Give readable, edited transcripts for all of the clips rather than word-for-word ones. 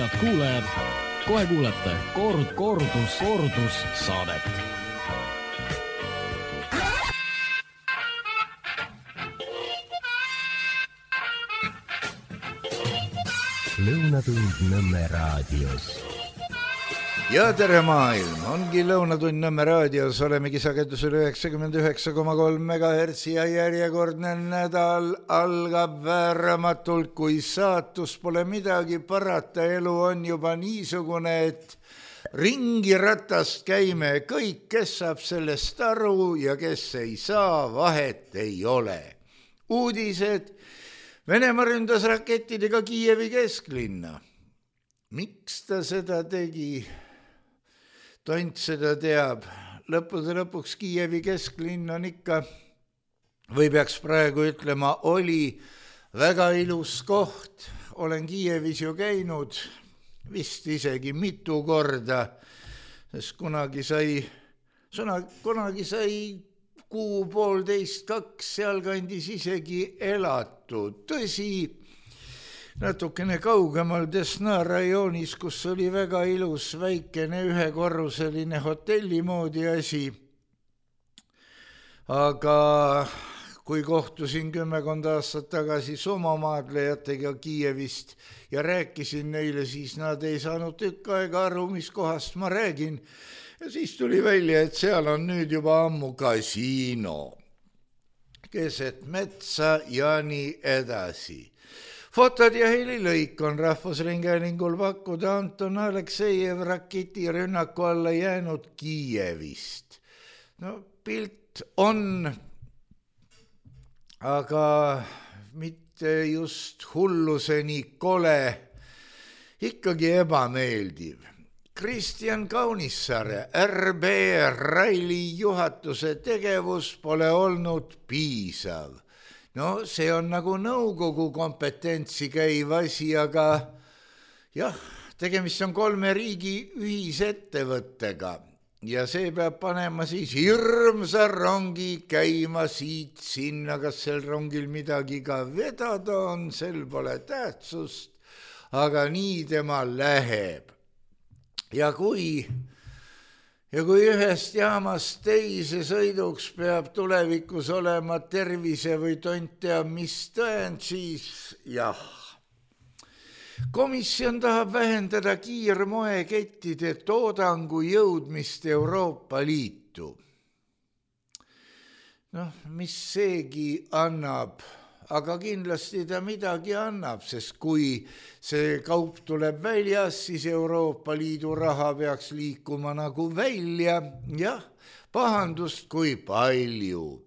Head kuulajad, kohe kuulete kordus saadet. Lõunatund Nõmme raadios. Ja tere maailm, ongi Lõunatund Nõmme raadios, olemegi sagedusel 99,3 MHz ja järjekordne nädal algab vääramatult, kui saatus pole midagi parata, elu on juba niisugune, et ringi ratast käime kõik, kes saab sellest aru ja kes ei saa, vahet ei ole. Uudised, Venemaa ründas rakettidega Kiievi kesklinna. Miks ta seda tegi? Tont seda teab. Lõppude lõpuks Kiievi kesklinn on ikka, või peaks praegu ütlema, oli väga ilus koht. Olen Kiievis ju käinud vist isegi mitu korda, sest kunagi sai kuu, 1,5–2 sealkandis isegi elatud. Tõsi, natukene kaugemal Desna rajoonis, kus oli väga ilus väikene ühekorruseline hotelli moodi asi. Aga kui kohtusin 10 aastat tagasi somomaadlejatega Kiievist ja rääkisin neile, siis nad ei saanud tükk aega aru, mis kohast ma räägin. Ja siis tuli välja, et seal on nüüd juba ammu kasiino. Keset metsa ja nii edasi. Fotod ja helilõik on Rahvusringhäälingul pakkuda Anton Aleksejev raketirünnaku alla jäänud Kiievist. No pilt on, aga mitte just hulluseni kole, ikkagi ebameeldiv. Kristjan Kaunissaare RB Raili juhatuse tegevus pole olnud piisav. No see on nagu nõukogu kompetentsi käiv asi, aga jah, tegemist on 3 riigi ühisettevõttega ja see peab panema siis hirmsa rongi käima siit sinna, kas sel rongil midagi ka vedada on, sel pole tähtsust, aga nii tema läheb. Ja kui ühest jaamast teise sõiduks peab tulevikus olema tervise või tont teab mis tõend, siis jah. Komisjon tahab vähendada kiirmoekettide toodangu jõudmist Euroopa Liitu. Noh, mis seegi annab, aga kindlasti ta midagi annab, sest kui see kaup tuleb väljas, siis Euroopa Liidu raha peaks liikuma nagu välja. Jah, pahandust kui palju.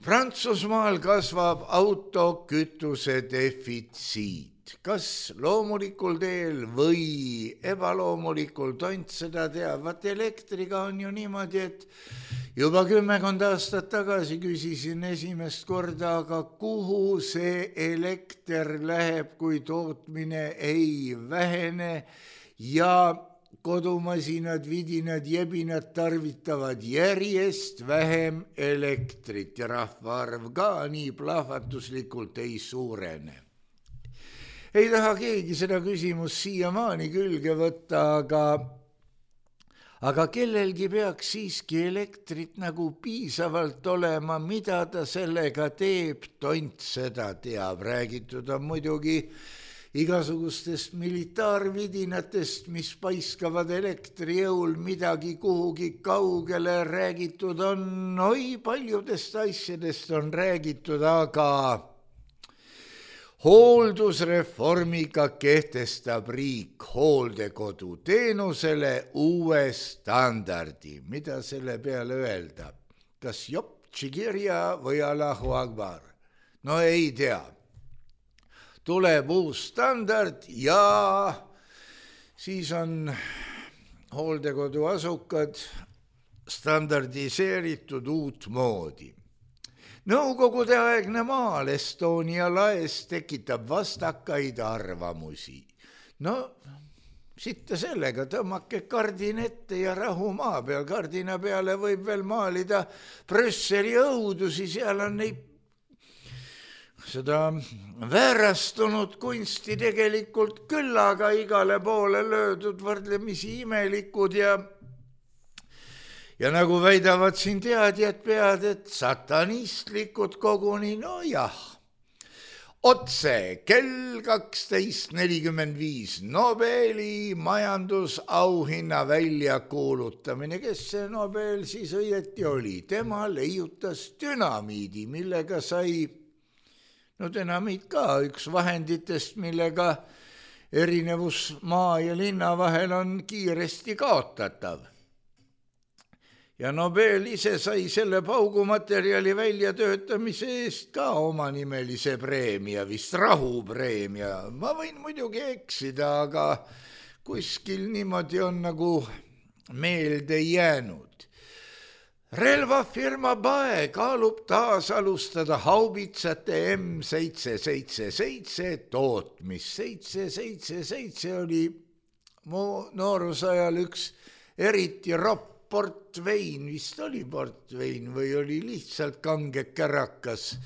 Prantsusmaal kasvab autokütuse defitsiit. Kas loomulikul teel või ebaloomulikul, tont seda teab. Vaat elektriga on ju niimoodi, et juba 10 aastat tagasi küsisin esimest korda, aga kuhu see elekter läheb, kui tootmine ei vähene ja kodumasinad, vidinad, jebinad tarvitavad järjest vähem elektrit ja rahvaarv ka nii plahvatuslikult ei suurene. Ei taha keegi seda küsimust siiamaani külge võtta, aga kellelgi peaks siiski elektrit nagu piisavalt olema, mida ta sellega teeb, tont seda teab. Räägitud on muidugi igasugustest militaarvidinatest, mis paiskavad elektrijõul midagi kuhugi kaugele. Räägitud on, paljudest asjadest on räägitud, aga hooldusreformiga kehtestab riik hooldekodu teenusele uue standardi. Mida selle peale öelda? Kas jopp, tšigirja või Allahu Akbar? No ei tea. Tuleb uus standard ja siis on hooldekodu asukad standardiseeritud uut moodi. Nõukogude aegne maal Estonia laes tekitab vastakaid arvamusi. No, sitta sellega, tõmmake kardin ette ja rahu maa peal. Kardina peale võib veel maalida Brüsseli õudusi, seal on neid seda väärastunud kunsti tegelikult küll, aga igale poole löödud võrdlemisi imelikud ja nagu väidavad siin teadjad pead, et satanistlikud koguni, no jah. Otse kell 12.45 Nobeli majandusauhinna väljakuulutamine. Kes see Nobel siis õieti oli? Tema leiutas dünamiidi, millega sai, no dünamiit ka üks vahenditest, millega erinevus maa ja linna vahel on kiiresti kaotatav. Ja Nobel ise sai selle paugumaterjali väljatöötamise eest ka omanimelise preemia, vist rahupreemia. Ma võin muidugi eksida, aga kuskil niimoodi on nagu meelde jäänud. Relvafirma BAE kaalub taas alustada haubitsate M777 tootmist. 777 oli mu noorusajal üks eriti ropp portvein, vist oli portvein või oli lihtsalt kange kärakas,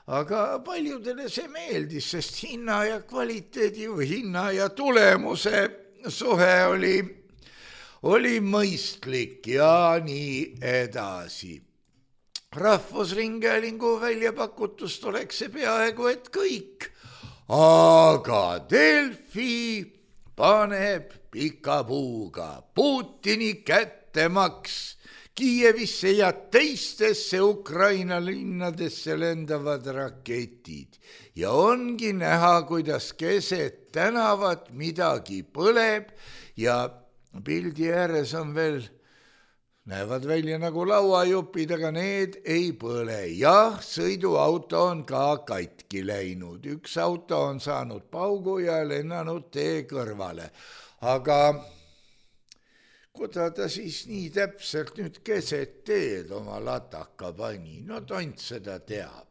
aga paljudele see meeldis, sest hinna ja kvaliteedi või hinna ja tulemuse suhe oli mõistlik ja nii edasi. Rahvusringhäälingu väljapakutust oleks see peaaegu et kõik, aga Delfi paneb pika puuga Putini kättemaks Kiievisse ja teistesse Ukraina linnadesse lendavad raketid ja ongi näha, kuidas keset tänavat midagi põleb ja pildi ääres on veel, näevad välja nagu lauajupid, aga need ei põle. Jah, sõiduauto on ka katki läinud, üks auto on saanud paugu ja lennanud tee kõrvale, aga kuda ta siis nii täpselt nüüd keset teed oma lataka pani, no tont seda teab.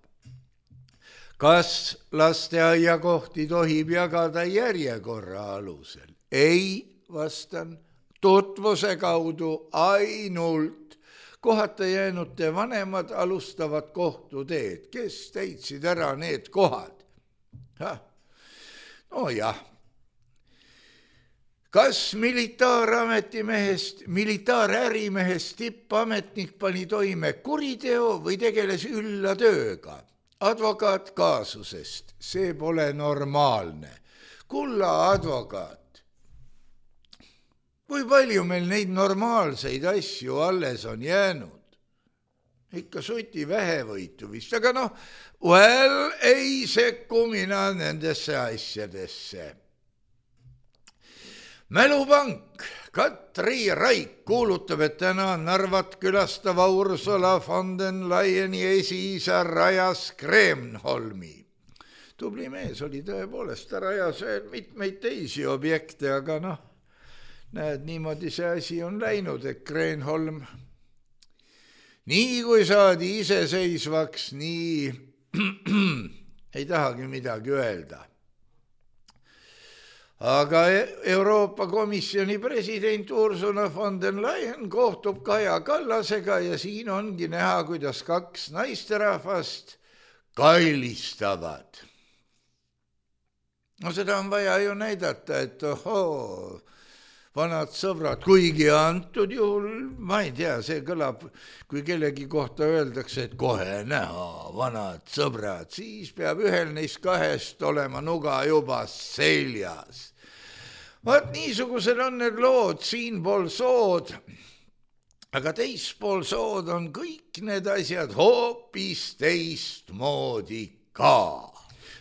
Kas lasteaiakohti tohib jagada järjekorra alusel? Ei, vastan, tutvuse kaudu ainult. Kohata jäänute vanemad alustavad kohtuteed, kes täitsid ära need kohad. No jah. Kas militaarärimehest tippametnik pani toime kuriteo või tegeles ülla tööga? Advokaat kaasusest, see pole normaalne. Kulla advokaat, kui palju meil neid normaalseid asju alles on jäänud? Ikka suti vähevõitu vist, aga noh, ei sekku mina nendesse asjadesse. Mälupank Katri Raik kuulutab, et täna Narvat külastava Ursula von den Leyeni esiisa rajas Kreenholmi. Tubli mees oli tõepoolest, ta rajas mitmeid teisi objekte, aga noh, näed, niimoodi see asi on läinud, et Kreenholm, nii kui saadi iseseisvaks, nii ei tahagi midagi öelda. Aga Euroopa Komisjoni president Ursula von den Leyen kohtub Kaja Kallasega ja siin ongi näha, kuidas kaks naisterahvast kailistavad. No seda on vaja ju näidata, et vanad sõbrad, kuigi antud juhul, ma ei tea, see kõlab, kui kellegi kohta öeldakse, et kohe näha, vanad sõbrad, siis peab ühel neist kahest olema nuga juba seljas. Vaat niisugused on need lood siinpool sood, aga teispool sood on kõik need asjad hoopis teistmoodi ka.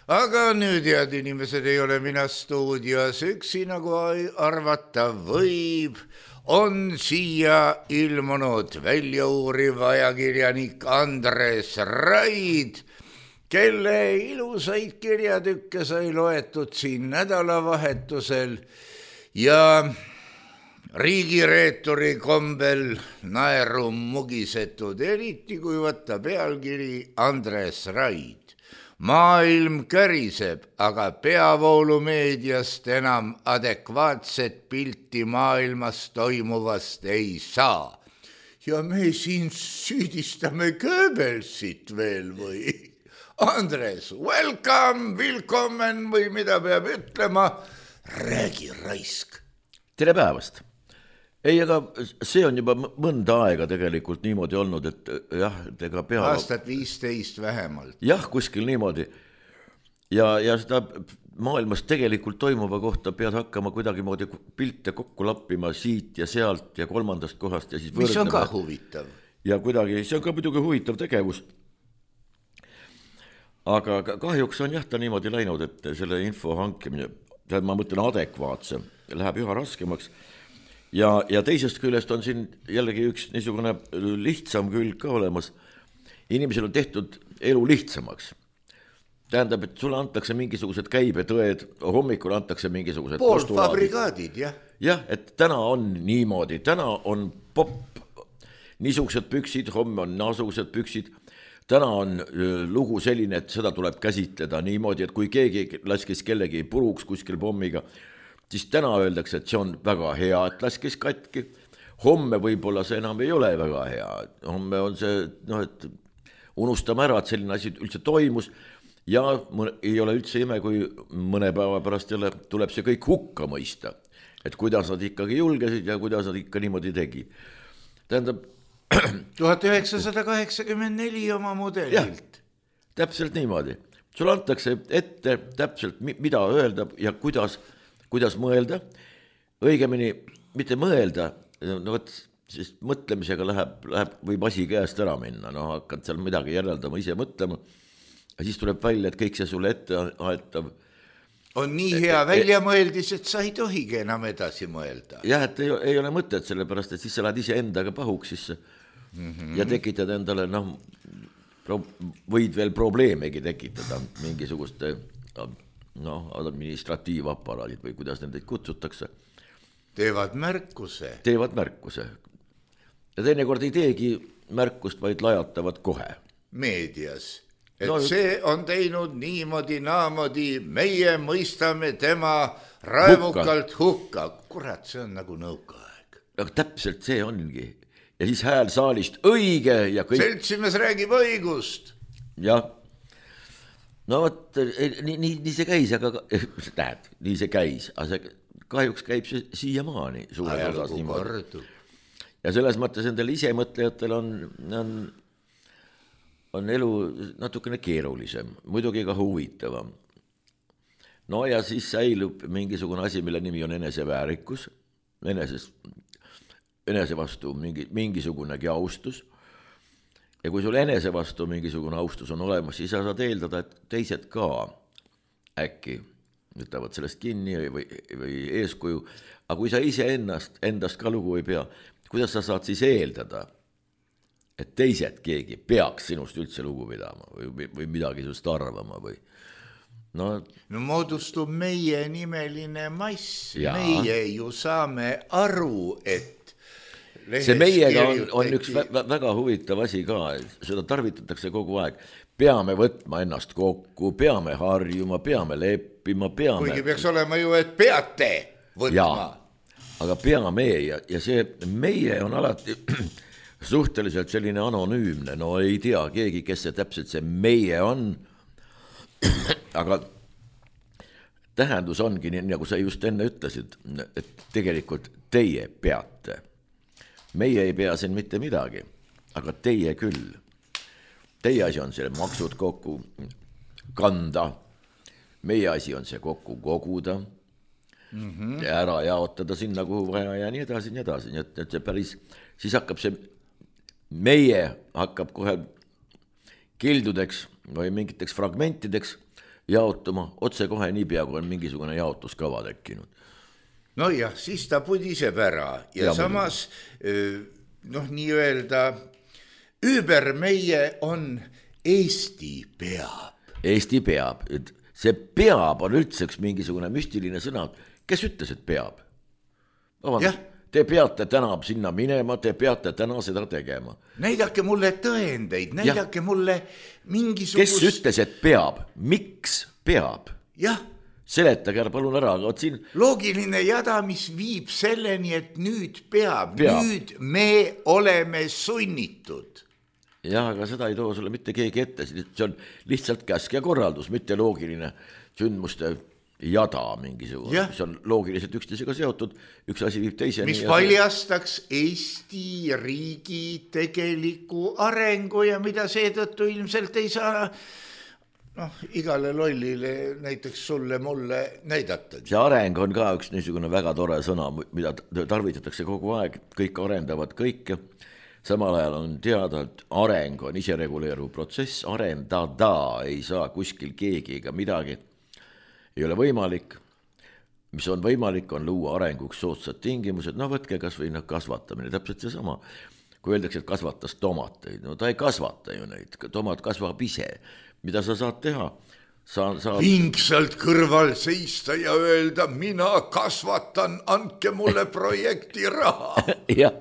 Aga nüüd, head inimesed, ei ole mina stuudios üksi, nagu arvata võib, on siia ilmunud väljauuriv ajakirjanik Andres Raid, kelle ilusaid kirjatükke sai loetud siin nädalavahetusel ja riigireeturi kombel naeru mugisetud, eriti kui võtta pealkiri Andres Raid. Maailm käriseb, aga peavoolumeediast enam adekvaatset pilti maailmas toimuvast ei saa. Ja me siin süüdistame Goebbelsit veel või? Andres, welcome, willkommen või mida peab ütlema, räägi raisk. Tere päevast. Ei, aga see on juba mõnda aega tegelikult niimoodi olnud, et jah, ega pea... Aastat 15 vähemalt. Jah, kuskil niimoodi. Ja seda maailmas tegelikult toimuva kohta pead hakkama kuidagi moodi pilte kokku lappima siit ja sealt ja kolmandast kohast ja siis võrdlema. Mis on ka huvitav. Ja kuidagi, see on ka muidugi huvitav tegevus. Aga kahjuks on jah ta niimoodi läinud, et selle info hankimine, ma mõtlen adekvaatse, läheb üha raskemaks. Ja teisest küljest on siin jällegi üks niisugune lihtsam külg ka olemas. Inimesel on tehtud elu lihtsamaks. Tähendab, et sulle antakse mingisugused käibetõed, hommikul antakse mingisugused poolfabrikaadid, jah. Jah, et täna on niimoodi, täna on popp, niisugused püksid, homme on naasugused püksid. Täna on lugu selline, et seda tuleb käsitleda niimoodi, et kui keegi laskis kellegi puruks kuskil pommiga, siis täna öeldakse, et see on väga hea, et laskis katki. Homme võib-olla see enam ei ole väga hea. Homme on see, et unustame ära, et selline asi üldse toimus ja ei ole üldse ime, kui mõne päeva pärast jälle tuleb see kõik hukka mõista. Et kuidas nad ikkagi julgesid ja kuidas nad ikka niimoodi tegi. Tähendab, 1984 oma mudelilt. Ja, täpselt niimoodi. Sul antakse ette täpselt, mida öelda ja kuidas mõelda. Õigemini, mitte mõelda, sest mõtlemisega võib asi käest ära minna. Hakkad seal midagi järeldama, ise mõtlema. Ja siis tuleb välja, et kõik see sulle ette aetav. On nii hea väljamõeldis, et sa ei tohigi enam edasi mõelda. Jah, et ei ole mõtet sellepärast, et siis sa lähed ise endaga pahuks sisse. Ja tekitad endale, võid veel probleemegi tekitada mingisuguste administratiivaparaadid või kuidas nendeid kutsutakse. Teevad märkuse. Ja teinekord ei teegi märkust, vaid lajatavad kohe. Meedias. Et see on teinud niimoodi, naamodi, meie mõistame tema raevukalt hukka. Kurat, see on nagu nõukaaeg. Aga täpselt see ongi. Ja siis hääl saalist õige ja kõik... Seltsimees räägib õigust. Jah. No võt, nii see käis, aga näed, nii see käis. Aga see, kahjuks käib see siiamaani suures osas niimoodi. Ja selles mõttes endal ise mõtlejatel on elu natukene keerulisem, muidugi ka huvitavam. No ja siis säilub mingisugune asi, mille nimi on eneseväärikus, enese vastu mingisugunegi austus. Ja kui sul enese vastu mingisugune austus on olemas, siis sa saad eeldada, et teised ka äkki võtavad sellest kinni või eeskuju. Aga kui sa ise endast ka lugu ei pea, kuidas sa saad siis eeldada, et teised keegi peaks sinust üldse lugu pidama või midagi sinust arvama või... No moodustub meie nimeline mass. Ja. Meie ju saame aru, et see meiega on üks väga huvitav asi ka, seda tarvitatakse kogu aeg. Peame võtma ennast kokku, peame harjuma, peame leppima, Kuigi peaks olema ju, et peate võtma. Ja, aga peame ja see meie on alati suhteliselt selline anonüümne, no ei tea keegi, kes see täpselt see meie on, aga tähendus ongi nii, nagu sa just enne ütlesid, et tegelikult teie peate. Meie ei pea siin mitte midagi, aga teie küll. Teie asi on selle maksud kokku kanda, meie asi on see kokku koguda ja ära jaotada sinna, kuhu vaja ja nii edasi, nii edasi. Nii et see päris, siis hakkab see, meie hakkab kohe kildudeks või mingiteks fragmentideks jaotuma otse kohe niipea, kui on mingisugune jaotuskava tekkinud. No jah, siis ta pudiseb ära ja samas, nii öelda, ümber meie on Eesti peab. Eesti peab, see peab on üldse üks mingisugune müstiline sõna. Kes ütles, et peab? Te peate täna sinna minema, te peate täna seda tegema. Näidake mulle tõendeid, näidake mulle mingisugust... Kes ütles, et peab? Miks peab? Jah. Seletage palun ära, aga siin... Loogiline jada, mis viib selleni, et nüüd peab. Nüüd me oleme sunnitud. jah, aga seda ei too sulle mitte keegi ette, see on lihtsalt käsk ja korraldus, mitte loogiline sündmuste jada mingisugune, mis on loogiliselt üksteisega seotud, üks asi viib teiseni. Mis paljastaks Eesti riigi tegeliku arengu ja mida seetõttu ilmselt ei saa igale lollile, näiteks sulle, mulle näidata. See areng on ka üks niisugune väga tore sõna, mida tarvitatakse kogu aeg, kõik arendavad kõike. Samal ajal on teada, et areng on isereguleeruv protsess, arendada ei saa kuskil keegi ega midagi. Ei ole võimalik, mis on võimalik, on luua arenguks soodsad tingimused, võtke kas või kasvatamine, täpselt see sama. Kui öeldakse, et kasvatas tomateid, ta ei kasvata ju neid, tomat kasvab ise. Mida sa saad teha? Pingsalt kõrval seista ja öelda, mina kasvatan, andke mulle projekti raha. Jah,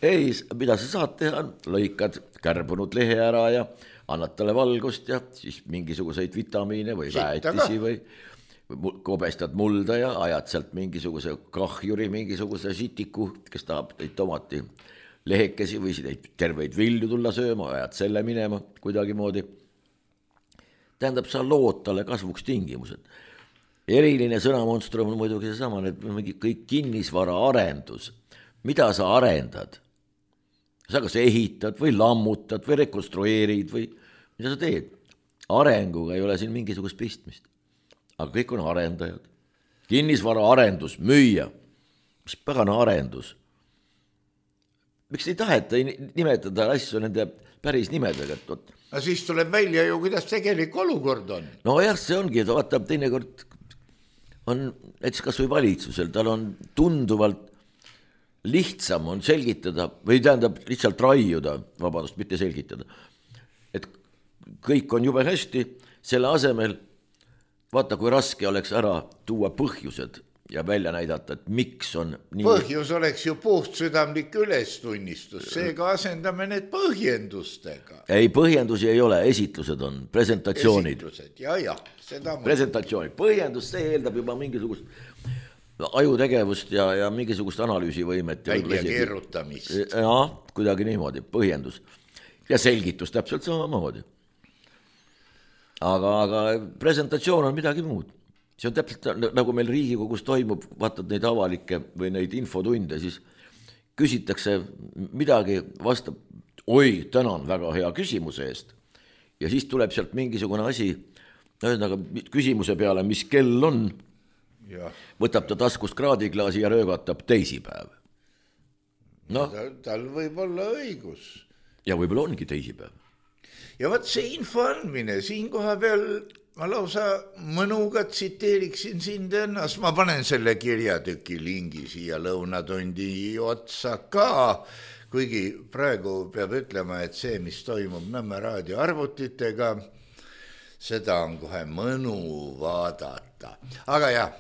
ei, mida sa saad teha, lõikad kärbunud lehe ära ja annad talle valgust ja siis mingisuguseid vitamiine või väetisi või kobestad mulda ja ajad sealt mingisuguse kahjuri, mingisuguse sitiku, kes tahab neid tomati lehekesi või terveid vilju tulla sööma, ajad selle minema kuidagi moodi. Tähendab, sa lood talle kasvuks tingimused. Eriline sõnamonstrum on muidugi seesama, et kõik kinnisvara arendus. Mida sa arendad? Sa kas ehitad või lammutad või rekonstrueerid või mida sa teed? Arenguga ei ole siin mingisugust pistmist. Aga kõik on arendajad. Kinnisvara arendus, müüa. Mis pagana arendus? Miks ei taheta nimetada asju nende päris nimedega? Aga siis tuleb välja ju, kuidas tegelik olukord on. No jah, see ongi, et vaata, teinekord on näiteks kas või valitsusel, tal on tunduvalt lihtsam on selgitada või tähendab lihtsalt raiuda, vabandust, mitte selgitada, et kõik on jube hästi, selle asemel vaata, kui raske oleks ära tuua põhjused ja välja näidata, et miks on nii. Põhjus oleks ju puhtsüdamlik ülestunnistus, seega asendame need põhjendustega. Ei, põhjendusi ei ole, esitlused on, presentatsioonid. Esitlused, jah, seda presentatsioonid, põhjendus, see eeldab juba mingisugust ajutegevust ja mingisugust analüüsivõimet. Välja keerutamist. Jah, kuidagi niimoodi, põhjendus. Ja selgitus täpselt samamoodi. Aga presentatsioon on midagi muud. See on täpselt nagu meil Riigikogus toimub, vaatad neid avalikke või neid infotunde, siis küsitakse midagi, vastab, oi, tänan väga hea küsimuse eest. Ja siis tuleb sealt mingisugune asi, küsimuse peale, mis kell on, ja. Võtab ta taskust kraadiklaasi ja röögatab teisipäev. No. Tal võib olla õigus. Ja võib-olla ongi teisipäev. Ja võt see info andmine, siin koha peal ma lausa mõnuga tsiteeriksin sind ennast, ma panen selle kirjatüki lingi siia lõunatundi otsa ka, kuigi praegu peab ütlema, et see, mis toimub Nõmme raadio arvutitega, seda on kohe mõnu vaadata. Aga jah,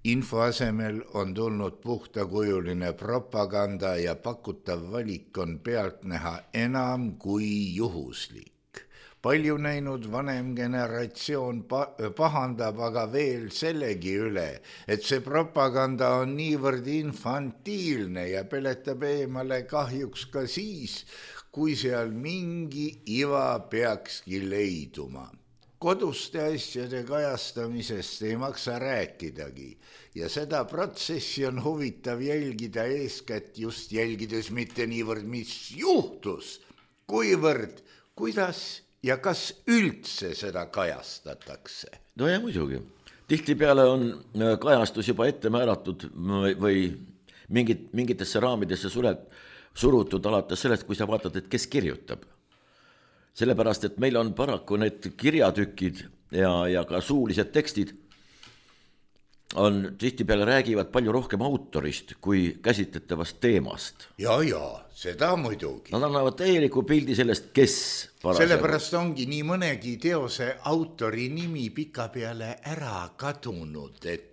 info asemel on tulnud puhtakujuline propaganda ja pakutav valik on pealtnäha enam kui juhuslik. Palju näinud vanem generatsioon pahandab aga veel sellegi üle, et see propaganda on niivõrd infantiilne ja peletab eemale kahjuks ka siis, kui seal mingi iva peakski leiduma. Koduste asjade kajastamisest ei maksa rääkidagi ja seda protsessi on huvitav jälgida eeskätt just jälgides mitte niivõrd, mis juhtus, kuivõrd, kuidas ja kas üldse seda kajastatakse? No ja muidugi. Tihtipeale on kajastus juba ette määratud või mingitesse raamidesse surutud alates sellest, kui sa vaatad, et kes kirjutab. Sellepärast, et meil on paraku need kirjatükid ja ka suulised tekstid on tihtipeale räägivad palju rohkem autorist kui käsitletavast teemast. Ja, seda muidugi. Nad annavad täieliku pildi sellest, kes parasjagu. Sellepärast ongi nii mõnegi teose autori nimi pikapeale ära kadunud, et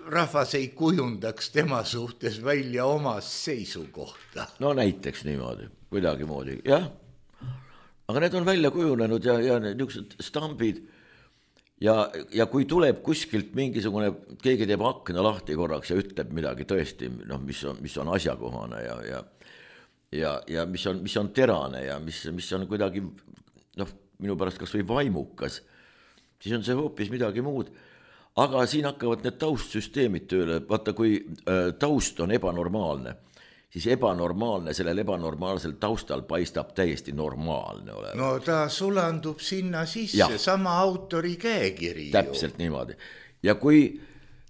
rahvas ei kujundaks tema suhtes välja oma seisukohta. No näiteks niimoodi, kuidagi moodi, jah. Aga need on välja kujunenud ja niisugused stambid. Ja kui tuleb kuskilt mingisugune, keegi teeb akna lahti korraks ja ütleb midagi tõesti, mis on asjakohane ja mis on terane ja mis on kuidagi minu pärast kas või vaimukas, siis on see hoopis midagi muud. Aga siin hakkavad need taustsüsteemid tööle, vaata kui taust on ebanormaalne, siis ebanormaalne sellel ebanormaalsel taustal paistab täiesti normaalne olema. No ta sulandub sinna sisse, sama autori käekiri. Täpselt niimoodi. Ja kui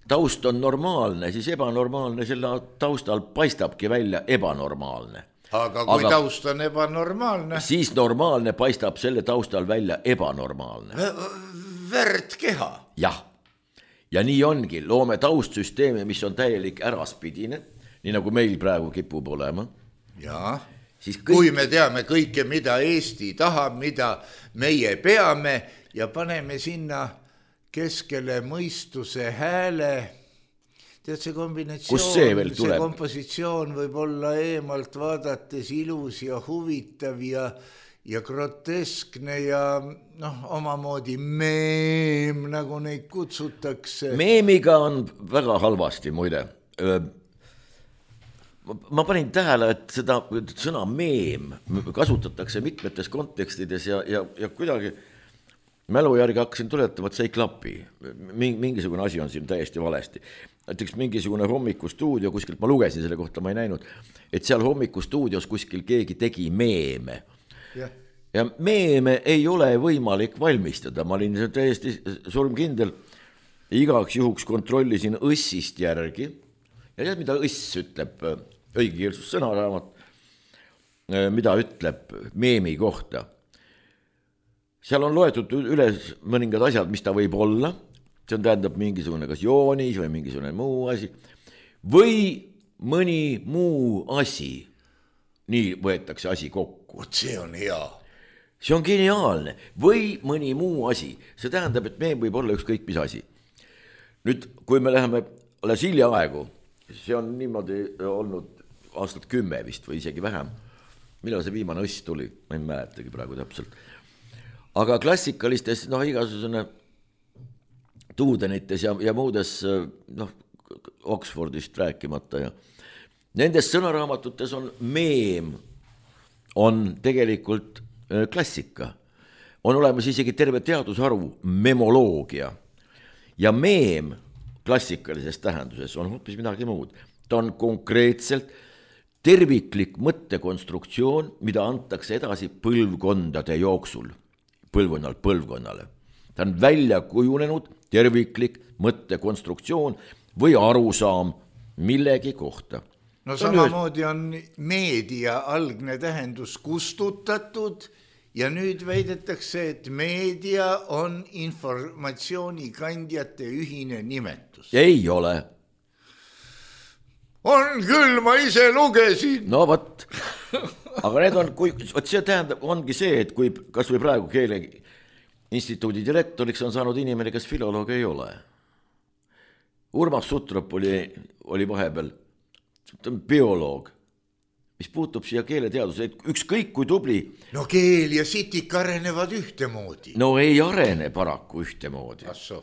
taust on normaalne, siis ebanormaalne selle taustal paistabki välja ebanormaalne. Aga kui taust on ebanormaalne, siis normaalne paistab selle taustal välja ebanormaalne. Värdkeha. Jah, ja nii ongi, loome taustsüsteemi, mis on täielik äraspidine, nii nagu meil praegu kipub olema. Ja, kui me teame kõike, mida Eesti tahab, mida meie peame ja paneme sinna keskele mõistuse hääle, tead see kombinatsioon, see kompositsioon võib olla eemalt vaadates ilus ja huvitav ja groteskne ja omamoodi meem, nagu neid kutsutakse. Meemiga on väga halvasti muide. Ma panin tähele, et seda sõna meem kasutatakse mitmetes kontekstides ja kuidagi mälu järgi hakkasin tuletama, et see ei klapi. Mingisugune asi on siin täiesti valesti. Näiteks mingisugune hommikustuudio kuskilt, ma lugesin selle kohta, ma ei näinud, et seal hommikustuudios kuskil keegi tegi meeme. Ja meeme ei ole võimalik valmistada. Ma olin täiesti surmkindel. Igaks juhuks kontrollisin õssist järgi. Ja tead, mida õss ütleb, õigekeelsus sõnaraamat, mida ütleb meemi kohta. Seal on loetud üles mõningad asjad, mis ta võib olla. See on tähendab mingisugune kas joonis või mingisugune muu asi. Või mõni muu asi. Nii võetakse asi kokku. See on hea. See on geniaalne. Või mõni muu asi. See tähendab, et meem võib olla ükskõik mis asi. Nüüd, kui me läheme alles hiljaaegu, see on niimoodi olnud aastat 10 vist või isegi vähem. Millal see viimane õss tuli? Ma ei mäletagi praegu täpselt. Aga klassikalistes, igasugune Tuudenites ja muudes, Oxfordist rääkimata ja nendes sõnaraamatutes on meem, on tegelikult klassika. On olemas isegi terve teadusharu, memoloogia. Ja meem klassikalises tähenduses on hoopis midagi muud. Ta on konkreetselt terviklik mõttekonstruktsioon, mida antakse edasi põlvkondade jooksul, põlvkonnalt põlvkonnale. Ta on välja kujunenud terviklik mõttekonstruktsioon või arusaam millegi kohta. No samamoodi on meedia algne tähendus kustutatud ja nüüd väidetakse, et meedia on informatsioonikandjate ühine nimetus. Ei ole. On küll, ma ise lugesin. No võt, aga need on, see tähendab, ongi see, et kui kas või praegu Keeleinstituudi direktoriks on saanud inimene, kes filoloog ei ole. Urmas Sutrop oli vahepeal bioloog, mis puutub siia keeleteaduse, ükskõik kui tubli. No keel ja sitik arenevad ühtemoodi. No ei arene paraku ühtemoodi. Asso.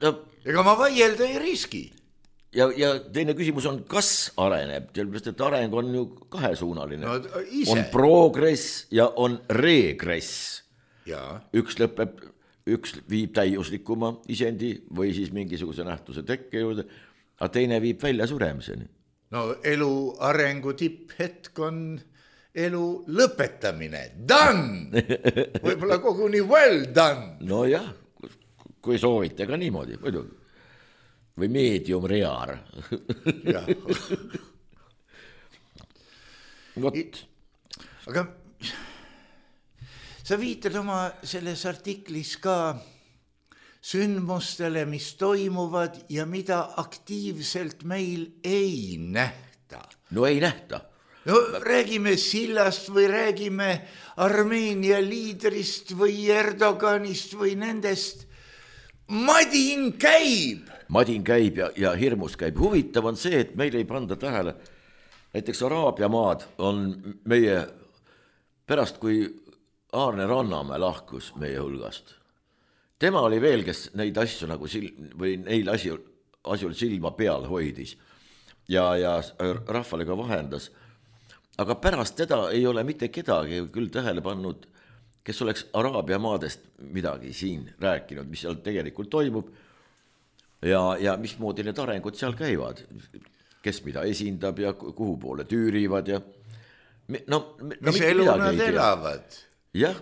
Ega ma vaielda ei riski. Ja teine küsimus on, kas areneb, sellepärast, et areng on ju kahesuunaline. No, ise. On progress ja on regress. Ja. Üks viib täiuslikuma isendi või siis mingisuguse nähtuse tekke juurde, aga teine viib välja suremiseni. No elu arengu tipphetk on elu lõpetamine. Done! Võib-olla koguni well done. No jah, kui soovite ka niimoodi, muidugi. Või medium rear. Jah. Aga sa viitad oma selles artiklis ka sündmustele, mis toimuvad ja mida aktiivselt meil ei nähta. No ei nähta. No räägime Sillast või räägime Armeenia liidrist või Erdoganist või nendest. Madin käib ja hirmus käib. Huvitav on see, et meil ei panda tähele. Näiteks Araabia maad on meie pärast, kui Aarne Rannamäe lahkus meie hulgast. Tema oli veel, kes neid asju nagu või neil asjul silma peal hoidis ja rahvale ka vahendas. aga pärast teda ei ole mitte kedagi küll tähele pannud, kes oleks Araabia maadest midagi siin rääkinud, mis seal tegelikult toimub ja mismoodi need arengud seal käivad, kes mida esindab ja kuhu poole tüürivad ja mis elu nad elavad ja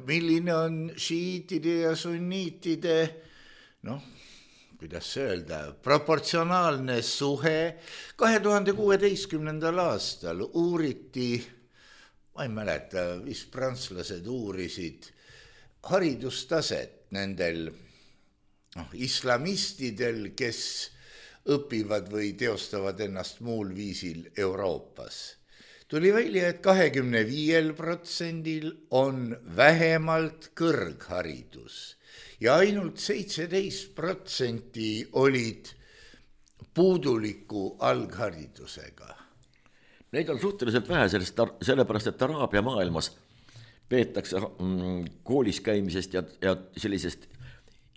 milline on šiitide ja sunniitide, kuidas öelda, proportsionaalne suhe. 2016. aastal uuriti, ma ei mäleta, vist prantslased uurisid haridustaset nendel islamistidel, kes õpivad või teostavad ennast muul viisil Euroopas. Tuli välja, et 25% on vähemalt kõrgharidus ja ainult 17% olid puuduliku algharidusega. Neid on suhteliselt vähe, sellepärast, et Araabia maailmas peetakse koolis käimisest ja sellisest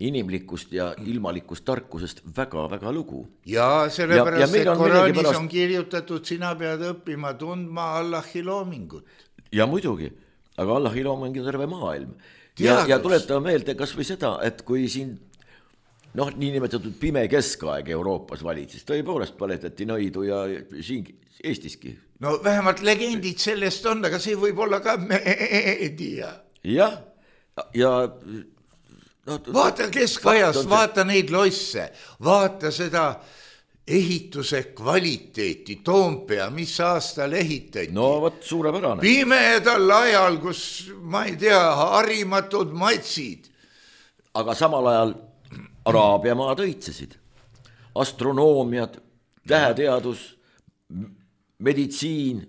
inimlikust ja ilmalikust tarkusest väga-väga lugu. Ja sellepärast, et Koraanis on kirjutatud, sina pead õppima tundma Allahi loomingut. Ja muidugi, aga Allahi looming on terve maailm. Ja tuletame meelde kas või seda, et kui siin niinimetatud pime keskaeg Euroopas valitses, tõepoolest paletati nõidu ja siin Eestiski. No vähemalt legendid sellest on, aga see võib olla ka meedia. Jah, ja vaata keskajas, vaata neid loisse, vaata seda ehituse kvaliteeti, Toompea, mis aastal ehitati. No võt, suurepärane. Pimedal ajal, kus, ma ei tea, harimatud matsid. Aga samal ajal Araabia maad õitsesid. Astronoomiad, täheteadus, meditsiin,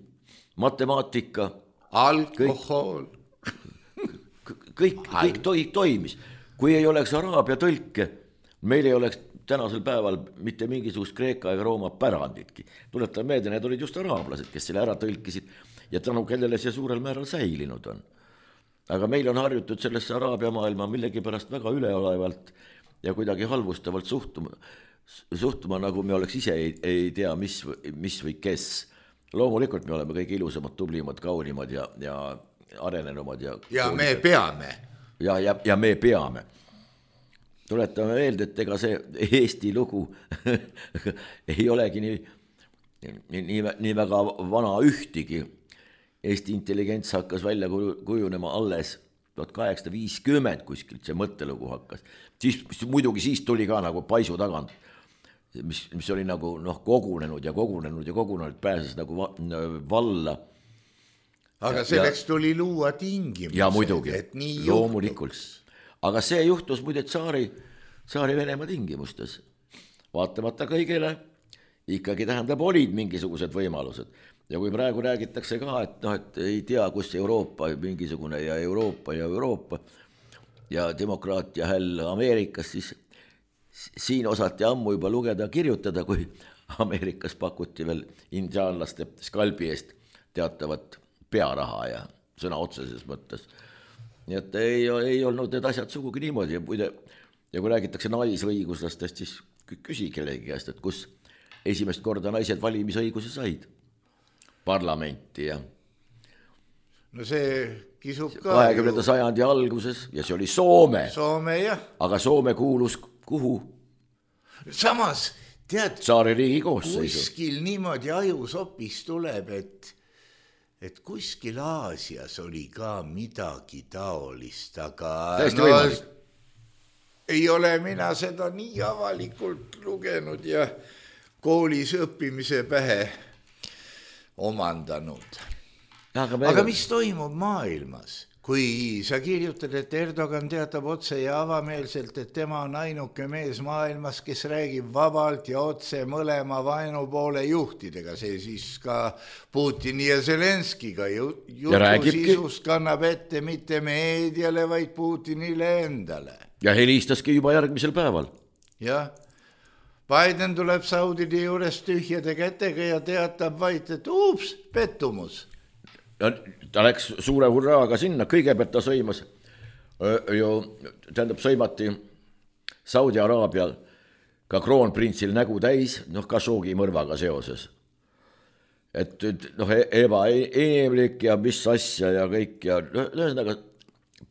matemaatika. Alkohol. Kõik toimis. Kui ei oleks Araabia tõlke, meil ei oleks tänasel päeval mitte mingisugust Kreeka ega Rooma päranditki. Tuletan meelde, need olid just araablased, kes selle ära tõlkisid ja tänu kellele see suurel määral säilinud on. Aga meil on harjutud sellesse Araabia maailma millegipärast väga üleolevalt ja kuidagi halvustavalt suhtuma, nagu me oleks ise ei tea, mis või kes. Loomulikult me oleme kõik ilusamad, tublimad, kaunimad ja arenenumad. Ja me peame. Ja me peame. Tuletame meelde, et ega see Eesti lugu ei olegi nii väga vana ühtigi. Eesti intelligents hakkas välja kujunema alles 1850 kuskilt, see mõttelugu hakkas. Siis tuli ka nagu paisu tagant, mis oli nagu kogunenud, pääses nagu valla. Aga selleks tuli luua tingimused. Ja muidugi, loomulikult. Aga see juhtus muide Tsaari Venemaa tingimustes. Vaatamata kõigele ikkagi tähendab olid mingisugused võimalused. Ja kui praegu räägitakse ka, et ei tea, kus Euroopa mingisugune ja Euroopa ja demokraatia häll Ameerikas, siis siin osati ammu juba lugeda, kirjutada, kui Ameerikas pakuti veel indiaanlaste skalbi eest teatavat pearaha ja sõna otseses mõttes. Nii et ei olnud need asjad sugugi niimoodi. Ja kui räägitakse naisõiguslastest, siis küsi kellegi käest, et kus esimest korda naised valimisõiguse said parlamenti ja no see kisub ka 20. sajandi alguses ja see oli Soome. Jah. Aga Soome kuulus kuhu? Samas, tead, Tsaaririigi koosseisu. Kuskil niimoodi ajusopis tuleb, et kuskil Aasias oli ka midagi taolist, aga ei ole mina seda nii avalikult lugenud ja koolis õppimise pähe omandanud. Aga mis toimub maailmas? Kui sa kirjutad, et Erdogan teatab otse ja avameelselt, et tema on ainuke mees maailmas, kes räägib vabalt ja otse mõlema vaenupoole juhtidega, see siis ka Putini ja Zelenskiga jutu sisust kannab ette mitte meediale, vaid Putinile endale. Ja helistaski juba järgmisel päeval. Jah. Biden tuleb Saudide juures tühjade kätega ja teatab vaid, et pettumus. Ja ta läks suure hurraaga sinna, kõigepealt ta sõimas, sõimati Saudi Araabial ka kroonprintsil nägu täis, Khashoggi mõrvaga seoses. et noh, ebainimlik ja mis asja ja kõik ja ühesõnaga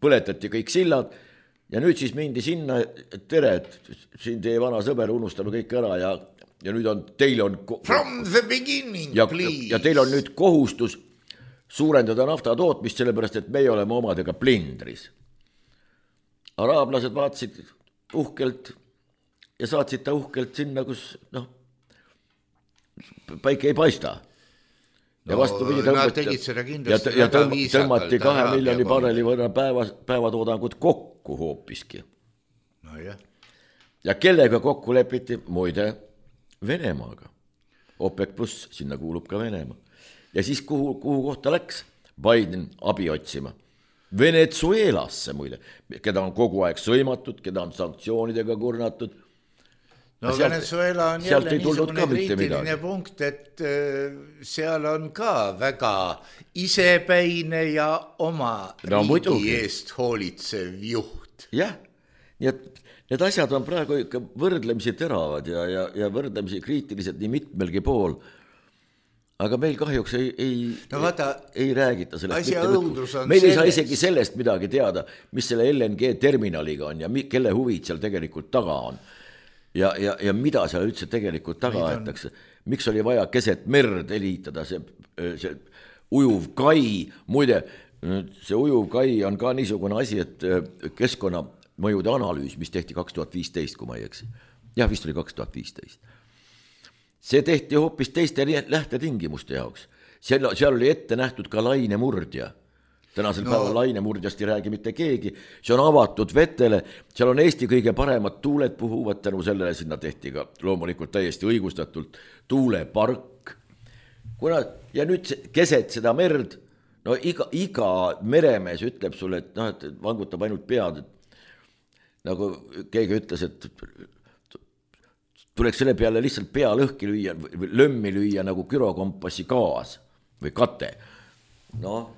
põletati kõik sillad ja nüüd siis mindi sinna, et tere, et siin teie vana sõber unustame kõik ära ja nüüd on, teil on From the beginning, please. Ja teil on nüüd kohustus suurendada nafta tootmist, sellepärast, et meie oleme omadega plindris. Araablased vaatasid uhkelt ja saatsid ta uhkelt sinna, kus noh, päike ei paista. Ja vastupidi tõmmati 2 miljoni barreli võrra päevatoodangut kokku hoopiski. No jah. Ja kellega kokku lepiti? Muide, Venemaaga. OPEC plus, sinna kuulub ka Venemaa. Ja siis kuhu kohta läks Biden abi otsima? Venezuelasse muide, keda on kogu aeg sõimatud, keda on sanktsioonidega kurnatud. No Venezuela on jälle niisugune kriitiline punkt, et seal on ka väga isepäine ja oma riigi eest hoolitsev juht. Jah, nii et need asjad on praegu ikka võrdlemisi teravad ja võrdlemisi kriitilised nii mitmelgi pool. Aga meil kahjuks ei räägita sellest. Meil ei saa isegi sellest midagi teada, mis selle LNG terminaliga on ja kelle huvid seal tegelikult taga on. Ja mida seal üldse tegelikult taga aetakse. Miks oli vaja keset merd eliitada see ujuv kai. Muide, see ujuv kai on ka niisugune asi, et keskkonnamõjude analüüs, mis tehti 2015, kui ma ei eksi. Jah, vist oli 2015. See tehti hoopis teiste lähtetingimuste jaoks. Seal oli ette nähtud ka lainemurdja. Tänasel päeval lainemurdjast ei räägi mitte keegi. See on avatud vetele. Seal on Eesti kõige paremad tuuled puhuvad. Tänu sellele sinna tehti ka loomulikult täiesti õigustatult tuulepark. Ja nüüd keset seda merd, no iga meremees ütleb sulle, et vangutab ainult pead. Nagu keegi ütles, et tuleks selle peale lihtsalt pea lõhki lüüa, lömmi lüüa nagu gyrokompassi gaas või kate. No,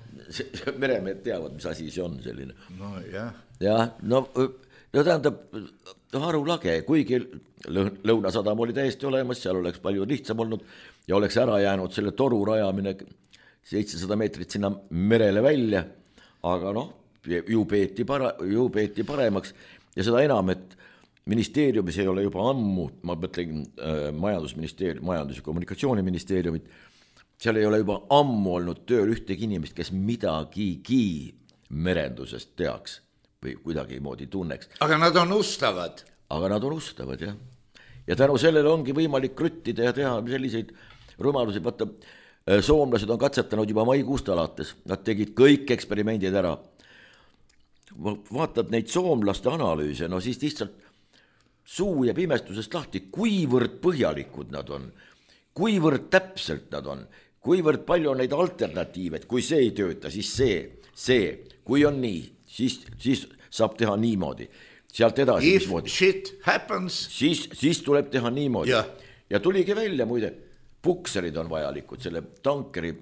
meremehed teavad, mis asi see on selline. No jah. Ja, no tähendab, harulage, kuigi Lõunasadam oli täiesti olemas, seal oleks palju lihtsam olnud ja oleks ära jäänud selle toru rajamine 700 meetrit sinna merele välja, aga noh, ju peeti paremaks ja seda enam, et ministeeriumis ei ole juba ammu, ma mõtlen majandus- ja kommunikatsiooniministeeriumit, seal ei ole juba ammu olnud tööl ühtegi inimest, kes midagigi merendusest teaks või kuidagi moodi tunneks. Aga nad on ustavad. Jah. Ja tänu sellele ongi võimalik krüttida ja teha selliseid rumalusi. Vaata, soomlased on katsetanud juba maikuust alates. Nad tegid kõik eksperimendid ära. Vaatad neid soomlaste analüüse, no siis lihtsalt suu ja pimestusest lahti, kuivõrd põhjalikud nad on, kuivõrd täpselt nad on, kuivõrd palju on neid alternatiive, et kui see ei tööta, siis see, kui on nii, siis saab teha niimoodi. Sealt edasi, If shit happens. Siis tuleb teha niimoodi. Ja tuligi välja, muide, pukserid on vajalikud selle tankeri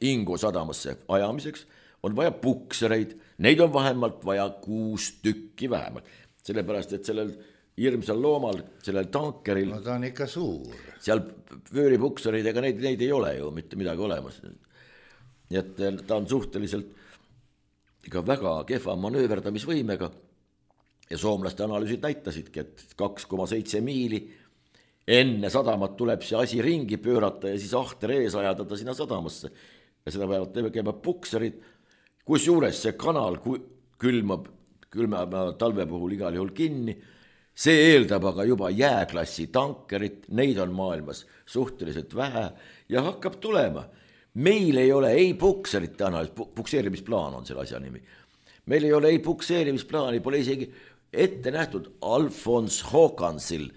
Ingo sadamasse ajamiseks, on vaja puksereid, neid on vähemalt vaja 6 tükki vähemalt, sellepärast, et sellel hirmsal loomal, sellel tankeril. No ta on ikka suur. Seal vööripuksereid, ega neid ei ole ju mitte midagi olemas. Nii et ta on suhteliselt ikka väga kehva manööverdamisvõimega ja soomlaste analüüsid näitasidki, et 2,7 miili enne sadamat tuleb see asi ringi pöörata ja siis ahter ees ajada ta sinna sadamasse. Ja seda peavad tegema pukserid, kus juures see kanal külmab talve puhul igal juhul kinni. See eeldab aga juba jääklassi tankerit, neid on maailmas suhteliselt vähe ja hakkab tulema. Meil ei ole ei pukserite analüüs, pukseerimisplaan on selle asja nimi. Meil ei ole ei pukseerimisplaani, pole isegi ette nähtud. Alfons Håkansil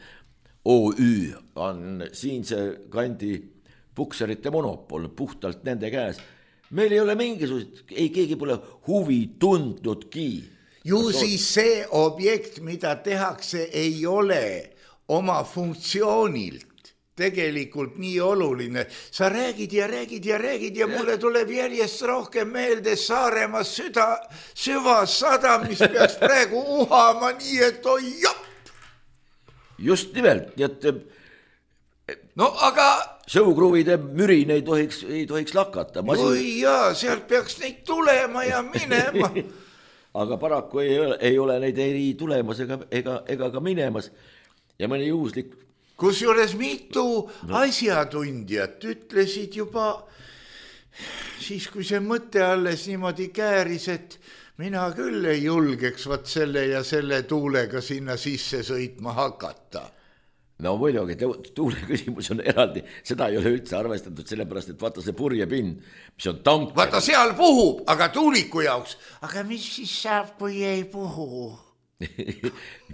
OÜ on siinse kandi pukserite monopol puhtalt nende käes. Meil ei ole mingisugust, ei keegi pole huvi tundnudki. Ju siis see objekt, mida tehakse, ei ole oma funktsioonilt tegelikult nii oluline. Sa räägid ja mulle tuleb järjest rohkem meelde Saaremaa süvasadam, mis peaks praegu uhama nii, et oi jopp. Just nimelt, nii et... No aga sõukruvide mürin ei tohiks lakata. oi jaa, sealt peaks neid tulema ja minema. Aga paraku ei ole neid ei tulemas ega ka minemas ja mõni juhuslik. Kusjuures mitu asjatundjat ütlesid juba siis, kui see mõte alles niimoodi kääris, et mina küll ei julgeks võt selle ja selle tuulega sinna sisse sõitma hakata. No muidugi, tuule küsimus on eraldi, seda ei ole üldse arvestatud, sellepärast, et vaata see purjepinn, mis on tank. Vaata seal puhub, aga tuuliku jaoks. Aga mis siis saab, kui ei puhu?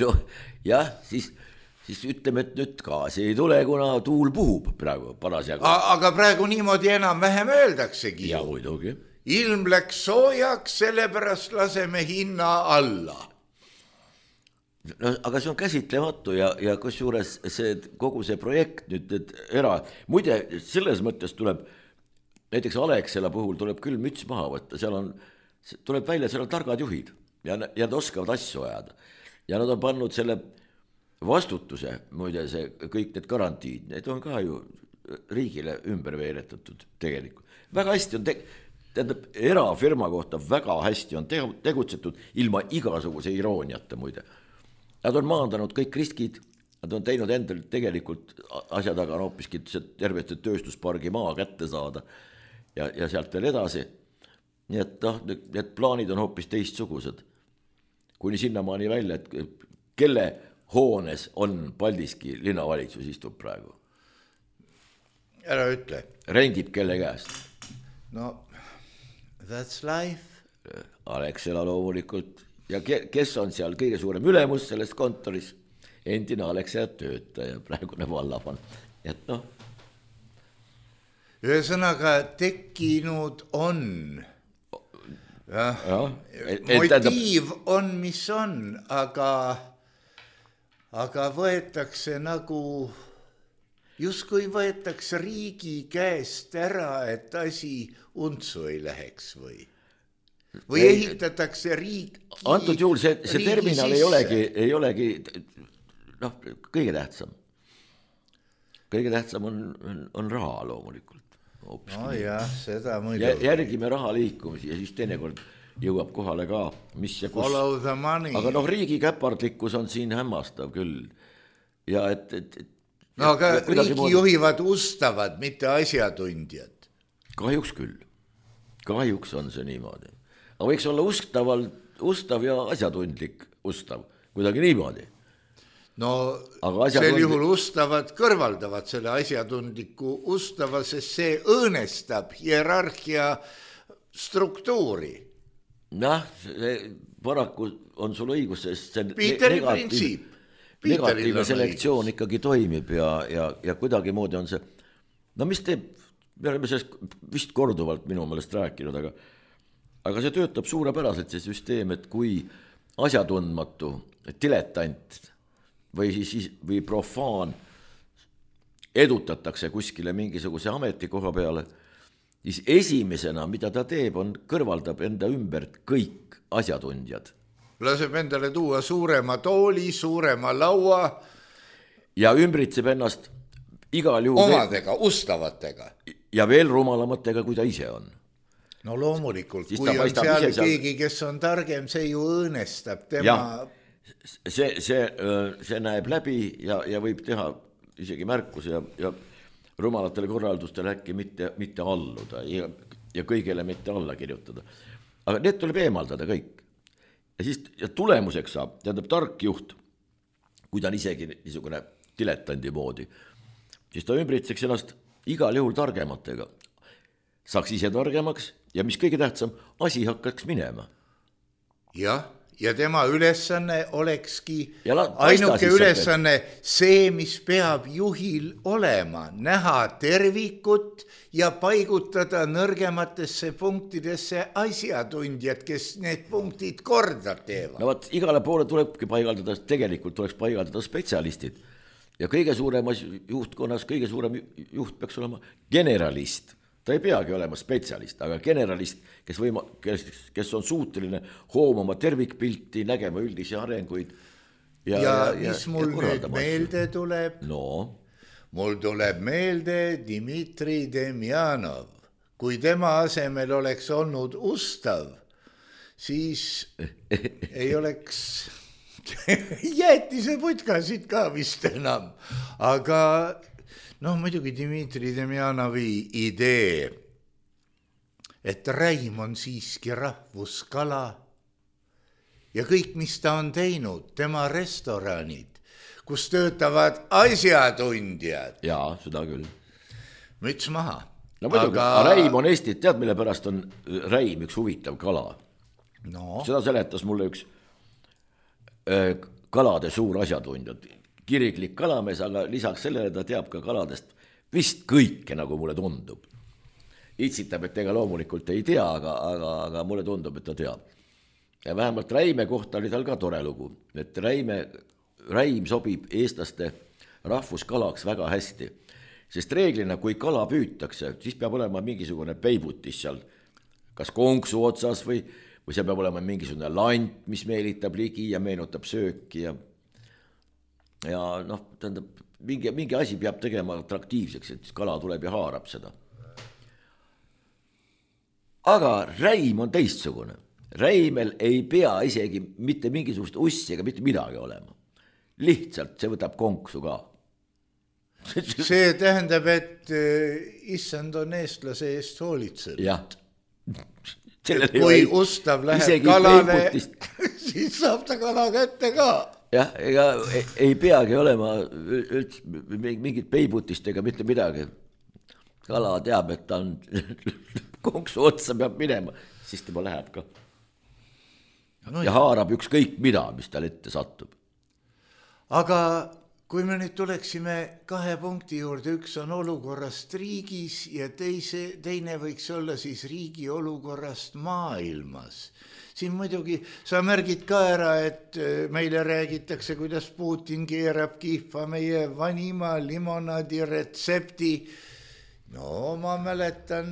No jah, siis ütleme, et nüüd gaasi ei tule, kuna tuul puhub praegu parasjagu. Aga praegu niimoodi enam-vähem öeldaksegi. Ja muidugi. Ilm läks soojaks, sellepärast laseme hinna alla. No, aga see on käsitlematu ja kusjuures kogu see projekt nüüd muide, selles mõttes tuleb, näiteks Alexela puhul tuleb küll müts maha võtta, tuleb välja, seal on targad juhid ja nad oskavad asju ajada. Ja nad on pannud selle vastutuse, muide see kõik need garantiid, need on ka ju riigile ümber veeretatud tegelikult. Väga hästi on tähendab, erafirma kohta väga hästi on tegutsetud ilma igasuguse irooniata muide. Nad on maandanud kõik riskid, nad on teinud endal tegelikult asja taga on hoopiski tervete tööstuspargi maa kätte saada ja sealt veel edasi. Nii et need plaanid on hoopis teistsugused. Kuni sinnamaani välja, et kelle hoones on Paldiski linnavalitsus istub praegu? Ära ütle. Rendib kelle käest? No, that's life. Alexela loomulikult. Ja kes on seal kõige suurem ülemus selles kontoris? Endine Alexela töötaja, praegune vallavan. Et noh. Ühesõnaga tekkinud on. Motiiv on, mis on, aga võetakse nagu, justkui võetakse riigi käest ära, et asi untsu ei läheks või ehitatakse riiki. Antud juhul see terminal ei olegi kõige tähtsam. Kõige tähtsam on raha loomulikult. No jah, seda muidugi. Järgime raha liikumisi ja siis teinekord jõuab kohale ka, mis ja kus. Follow the money. Aga riigi käpardlikkus on siin hämmastav küll. Ja no aga riigi juhivad ustavad, mitte asjatundjad. Kahjuks küll. Kahjuks on see niimoodi. Aga võiks olla ustav ja asjatundlik ustav, kuidagi niimoodi. No sel juhul ustavad kõrvaldavad selle asjatundliku ustava, sest see õõnestab hierarhia struktuuri. Noh, paraku on sul õigus, sest see negatiivne selektsioon ikkagi toimib ja kuidagi moodi on see, no mis teeb, me oleme sellest vist korduvalt minu meelest rääkinud, aga see töötab suurepäraselt see süsteem, et kui asjatundmatu diletant või profaan edutatakse kuskile mingisuguse ametikoha peale, siis esimesena, mida ta teeb, kõrvaldab enda ümbert kõik asjatundjad. Laseb endale tuua suurema tooli, suurema laua. Ja ümbritseb ennast igal juhul omadega, ustavatega. Ja veel rumalamatega, kui ta ise on. No loomulikult, kui on seal keegi, kes on targem, see ju õõnestab tema. Ja, see näeb läbi ja võib teha isegi märkus ja rumalatele korraldustele äkki mitte alluda ja kõigele mitte alla kirjutada. Aga need tuleb eemaldada kõik. Ja tulemuseks saab, tähendab tark juht, kui ta on isegi niisugune diletandi moodi, siis ta ümbritseks ennast igal juhul targematega. Saaks ise targemaks ja mis kõige tähtsam, asi hakkaks minema. Jah, ja tema ülesanne olekski ainuke ülesanne see, mis peab juhil olema, näha tervikut ja paigutada nõrgematesse punktidesse asjatundjad, kes need punktid korda teevad. No igale poole tulebki paigaldada, tegelikult tuleks paigaldada spetsialistid ja kõige suuremas juhtkonnas, kõige suurem juht peaks olema generalist. Ta ei peagi olema spetsialist, aga generalist, kes on suuteline hoomama tervikpilti, nägema üldisi arenguid. Ja mis mul nüüd meelde tuleb? No. mul tuleb meelde Dmitri Demjanov. Kui tema asemel oleks olnud Ustav, siis ei oleks jäetise putkasid ka vist enam. Aga muidugi Dmitri Demjanovi idee, et räim on siiski rahvuskala ja kõik, mis ta on teinud, tema restoranid, kus töötavad asjatundjad. Jaa, seda küll. Müts maha. No muidugi, räim on Eesti, tead mille pärast on räim üks huvitav kala? No. Seda seletas mulle üks kalade suur asjatundjad. Kiriklik kalamees, aga lisaks sellele ta teab ka kaladest vist kõike, nagu mulle tundub. Itsitab, et ega loomulikult ei tea, aga mulle tundub, et ta teab. Ja vähemalt räime kohta oli tal ka tore lugu, et räim sobib eestlaste rahvuskalaks väga hästi. Sest reeglina, kui kala püütakse, siis peab olema mingisugune peibutis seal, kas konksu otsas või see peab olema mingisugune lant, mis meelitab ligi ja meenutab sööki ja tähendab, mingi asi peab tegema atraktiivseks, et kala tuleb ja haarab seda. Aga räim on teistsugune. Räimel ei pea isegi mitte mingisugust ussi ega mitte midagi olema. Lihtsalt see võtab konksu ka. See tähendab, et issand on eestlase eest hoolitsed. Jah. Kui Ustav läheb kalale, siis saab ta kala kätte ka. Jah, ega ei peagi olema mingit peibutist ega mitte midagi. Kala teab, et ta on konksu otsa peab minema, siis tema läheb ka. Ja haarab ükskõik mida, mis tal ette satub. Aga kui me nüüd tuleksime 2 punkti juurde, üks on olukorrast riigis ja teine võiks olla siis riigi olukorrast maailmas. Siin muidugi sa märgid ka ära, et meile räägitakse, kuidas Putin keerab kihva meie vanima limonaadi retsepti. No ma mäletan,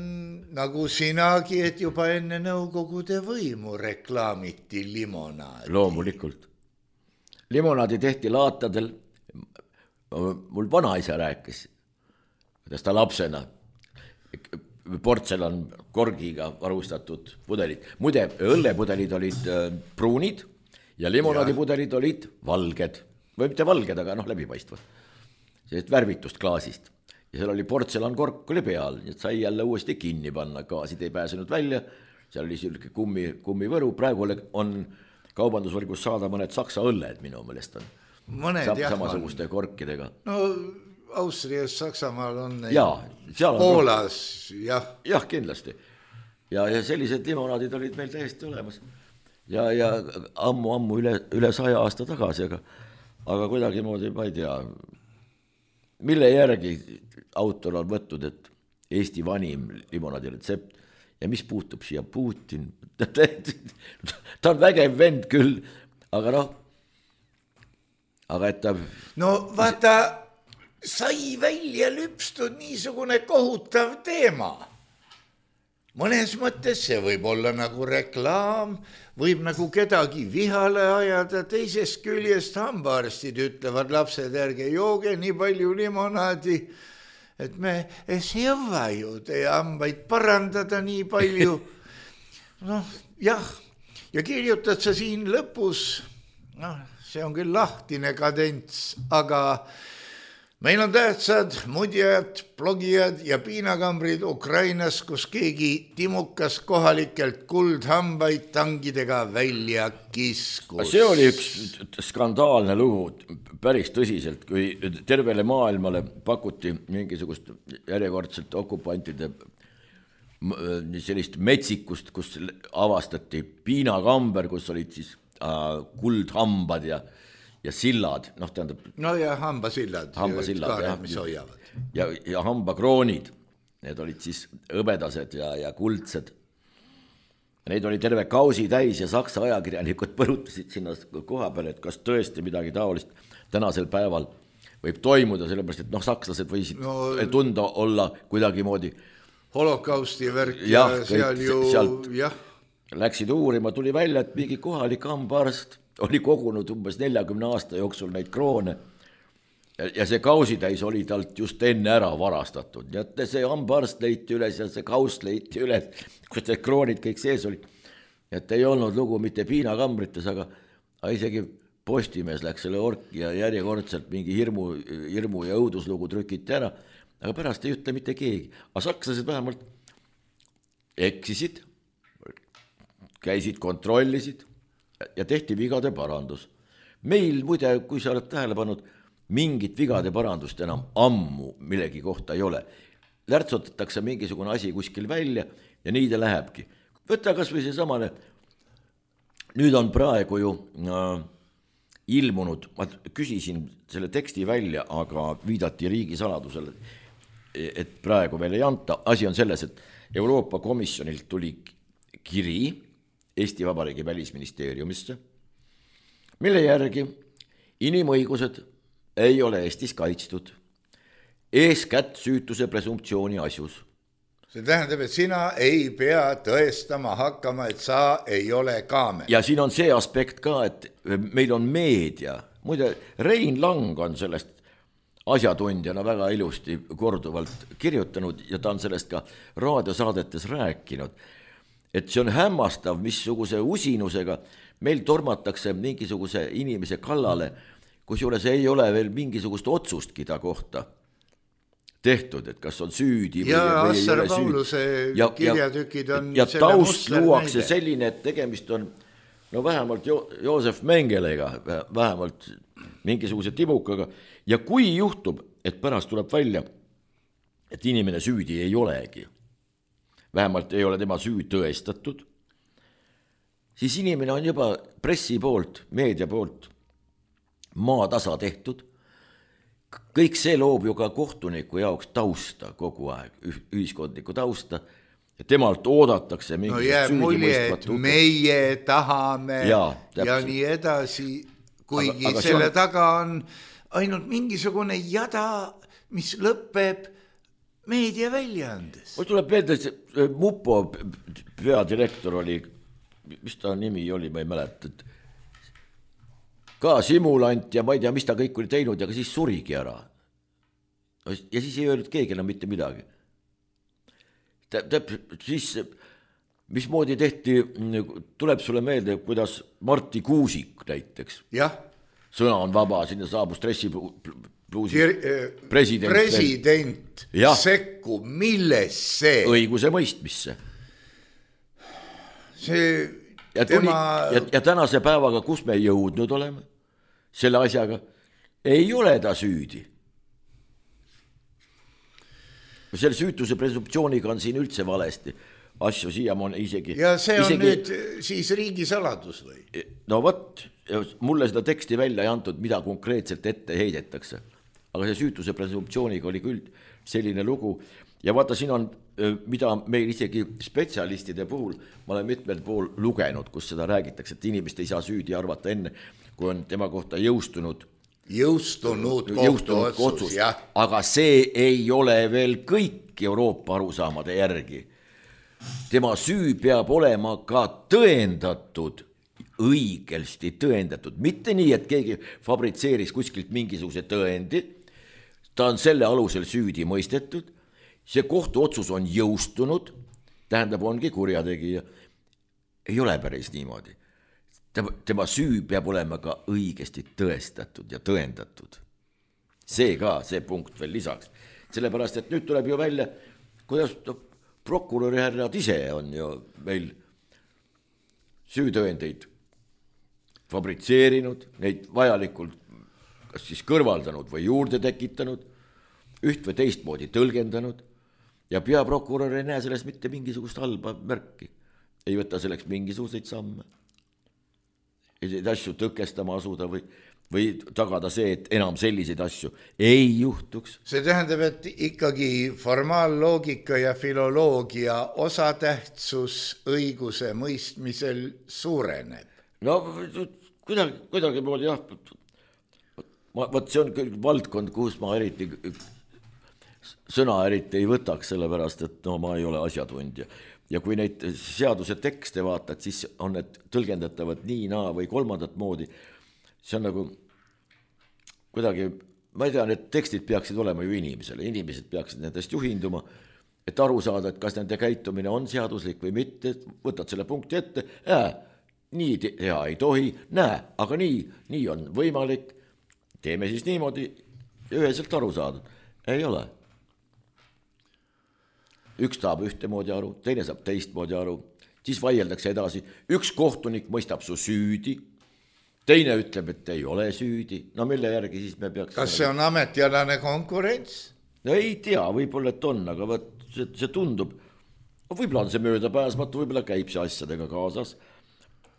nagu sinagi, et juba enne Nõukogude võimu reklaamiti limonaadi. Loomulikult. Limonaadi tehti laatadel. Mul vanaisa rääkis, kuidas ta lapsena portselan korgiga varustatud pudelid. Muide, õllepudelid olid pruunid ja limonaadipudelid olid valged. Või mitte valged, aga läbipaistva. Sellist värvitust klaasist. Ja seal oli portselan kork oli peal, et sai jälle uuesti kinni panna. Gaasid ei pääsenud välja, seal oli selline kummivõru. Praegu on kaubandusvõrgus saada mõned saksa õlled, minu meelest on. Samasuguste korkidega. No Austrias, Saksamaal on neid. Seal on Poolas, jah. Jah, kindlasti. Ja sellised limonaadid olid meil täiesti olemas. Ja ammu üle 100 aasta tagasi, aga kuidagi moodi, ma ei tea, mille järgi autor on võtnud, et Eesti vanim limonaadi retsept ja mis puutub siia Putin. Ta on vägev vend küll, aga aga et ta... No vaata, sai välja lüpstud niisugune kohutav teema. Mõnes mõttes see võib olla nagu reklaam, võib nagu kedagi vihale ajada, teisest küljest hambaarstid ütlevad, lapsed ärge jooge nii palju limonaadi, et me ei jõua ju teie hambaid parandada nii palju. Jah, ja kirjutad sa siin lõpus, see on küll lahtine kadents, aga meil on tähtsad mudjad, blogijad ja piinakambrid Ukrainas, kus keegi timukas kohalikelt kuldhambaid tangidega välja kiskus. See oli üks skandaalne lugu päris tõsiselt, kui tervele maailmale pakuti mingisugust järjekordselt okupantide sellist metsikust, kus avastati piinakamber, kus olid siis kuldhambad ja sillad, tähendab... No ja hambasillad, mis hoiavad. Ja hambakroonid, need olid siis õbedased ja kuldsed. Neid oli terve kausi täis ja saksa ajakirjanikud põrutasid sinna koha peale, et kas tõesti midagi taolist tänasel päeval võib toimuda, sellepärast, et sakslased võisid tunda olla kuidagi moodi... Holokausti värk ja seal ju... Jah. Läksid uurima, tuli välja, et mingi kohalik hambaarst oli kogunud umbes 40 aasta jooksul neid kroone ja see kausitäis oli talt just enne ära varastatud, nii et see hambaarst leiti üles ja see kaust leiti üles, kus need kroonid kõik sees olid. Et ei olnud lugu mitte piinakambrites, aga isegi Postimees läks selle orki ja järjekordselt mingi hirmu ja õuduslugu trükiti ära, aga pärast ei ütle mitte keegi. Aga sakslased vähemalt eksisid, käisid, kontrollisid ja tehti vigade parandus. Meil muide, kui sa oled tähele pannud, mingit vigade parandust enam ammu millegi kohta ei ole. Lärtsotatakse mingisugune asi kuskil välja ja nii ta lähebki. Võta kas või see samane, nüüd on praegu ju ilmunud, ma küsisin selle teksti välja, aga viidati riigisaladusele, et praegu veel ei anta. Asi on selles, et Euroopa Komisjonilt tuli kiri Eesti Vabariigi välisministeeriumisse, mille järgi inimõigused ei ole Eestis kaitstud, eeskätt süütuse presumptsiooni asjus. See tähendab, et sina ei pea tõestama hakkama, et sa ei ole kaamel. Ja siin on see aspekt ka, et meil on meedia. Muide, Rein Lang on sellest asjatundjana väga ilusti korduvalt kirjutanud ja ta on sellest ka raadiosaadetes rääkinud, et see on hämmastav, missuguse usinusega meil tormatakse mingisuguse inimese kallale, kusjuures ei ole veel mingisugust otsustki ta kohta tehtud, et kas on süüdi ja või Assar ei ole Pauluse süüdi. kirjatükid on ja selle taust luuakse näide. selline, et tegemist on no vähemalt Joosef Mengelega, vähemalt mingisuguse tibukaga. Ja kui juhtub, et pärast tuleb välja, et inimene süüdi ei olegi, vähemalt ei ole tema süü tõestatud, siis inimene on juba pressi poolt, meedia poolt maatasa tehtud. Kõik see loob ju ka kohtuniku jaoks tausta kogu aeg, ühiskondniku tausta, ja temalt oodatakse no jääb mulje, et meie tahame ja nii edasi, kuigi aga selle taga on ainult mingisugune jada, mis lõpeb meedia väljaandes. Mul tuleb meelde, et Mupo peadirektor oli, mis ta nimi oli, ma ei mäleta, ka simulant ja ma ei tea, mis ta kõik oli teinud, aga siis surigi ära. Ja siis ei öelnud keegi enam mitte midagi. Siis, mismoodi tehti, tuleb sulle meelde, kuidas Marti Kuusik näiteks. Jah. Sõna on vaba, sinna saabus dressipluusis president sekku, milles see? Õiguse mõistmisse. See ja tänase päevaga, kus me jõudnud oleme selle asjaga, ei ole ta süüdi. Selle süütuse presumptsiooniga on siin üldse valesti asju siiamaani isegi. Ja see on nüüd siis riigisaladus või? No võt, mulle seda teksti välja ei antud, mida konkreetselt ette heidetakse. Aga see süütuse presumptsiooniga oli küll selline lugu. Ja vaata, siin on, mida meil isegi spetsialistide puhul, ma olen mitmel pool lugenud, kus seda räägitakse, et inimest ei saa süüdi arvata enne, kui on tema kohta jõustunud kohtuotsus, aga see ei ole veel kõik Euroopa arusaamade järgi. Tema süü peab olema ka tõendatud, õigesti tõendatud, mitte nii, et keegi fabritseeris kuskilt mingisuguse tõendi, ta on selle alusel süüdi mõistetud, see kohtuotsus on jõustunud, tähendab, ongi kurjategija. Ei ole päris niimoodi. Tema süü peab olema ka õigesti tõestatud ja tõendatud. See ka, see punkt veel lisaks. Sellepärast, et nüüd tuleb ju välja, kuidas prokuröri härrad ise on ju meil süütõendeid fabritseerinud, neid vajalikult kas siis kõrvaldanud või juurde tekitanud, üht või teistmoodi tõlgendanud ja peaprokurör ei näe sellest mitte mingisugust halba märki. Ei võta selleks mingisuguseid samme. Ei asju tõkestama asuda või tagada see, et enam selliseid asju ei juhtuks. See tähendab, et ikkagi formaalloogika ja filoloogia osatähtsus õiguse mõistmisel suureneb. No kuidagi moodi jah. Võt see on küll valdkond, kus ma sõna eriti ei võtaks, sellepärast, et no ma ei ole asjatundja. Ja kui neid seaduse tekste vaatad, siis on need tõlgendatavad nii, naa või kolmandat moodi. See on nagu kuidagi ma ei tea, need tekstid peaksid olema ju inimesele, inimesed peaksid nendest juhinduma, et aru saada, et kas nende käitumine on seaduslik või mitte, võtad selle punkti ette, nii teha ei tohi, aga nii on võimalik, teeme siis niimoodi ja üheselt aru saadud. Ei ole. Üks saab ühtemoodi aru, teine saab teistmoodi aru, siis vaieldakse edasi, üks kohtunik mõistab su süüdi, teine ütleb, et ei ole süüdi, no mille järgi siis me peaks... Kas see on ametialane konkurents? No ei tea, võib-olla et on, aga võt, see tundub, võib-olla on see möödapääsmatu, võib-olla käib see asjadega kaasas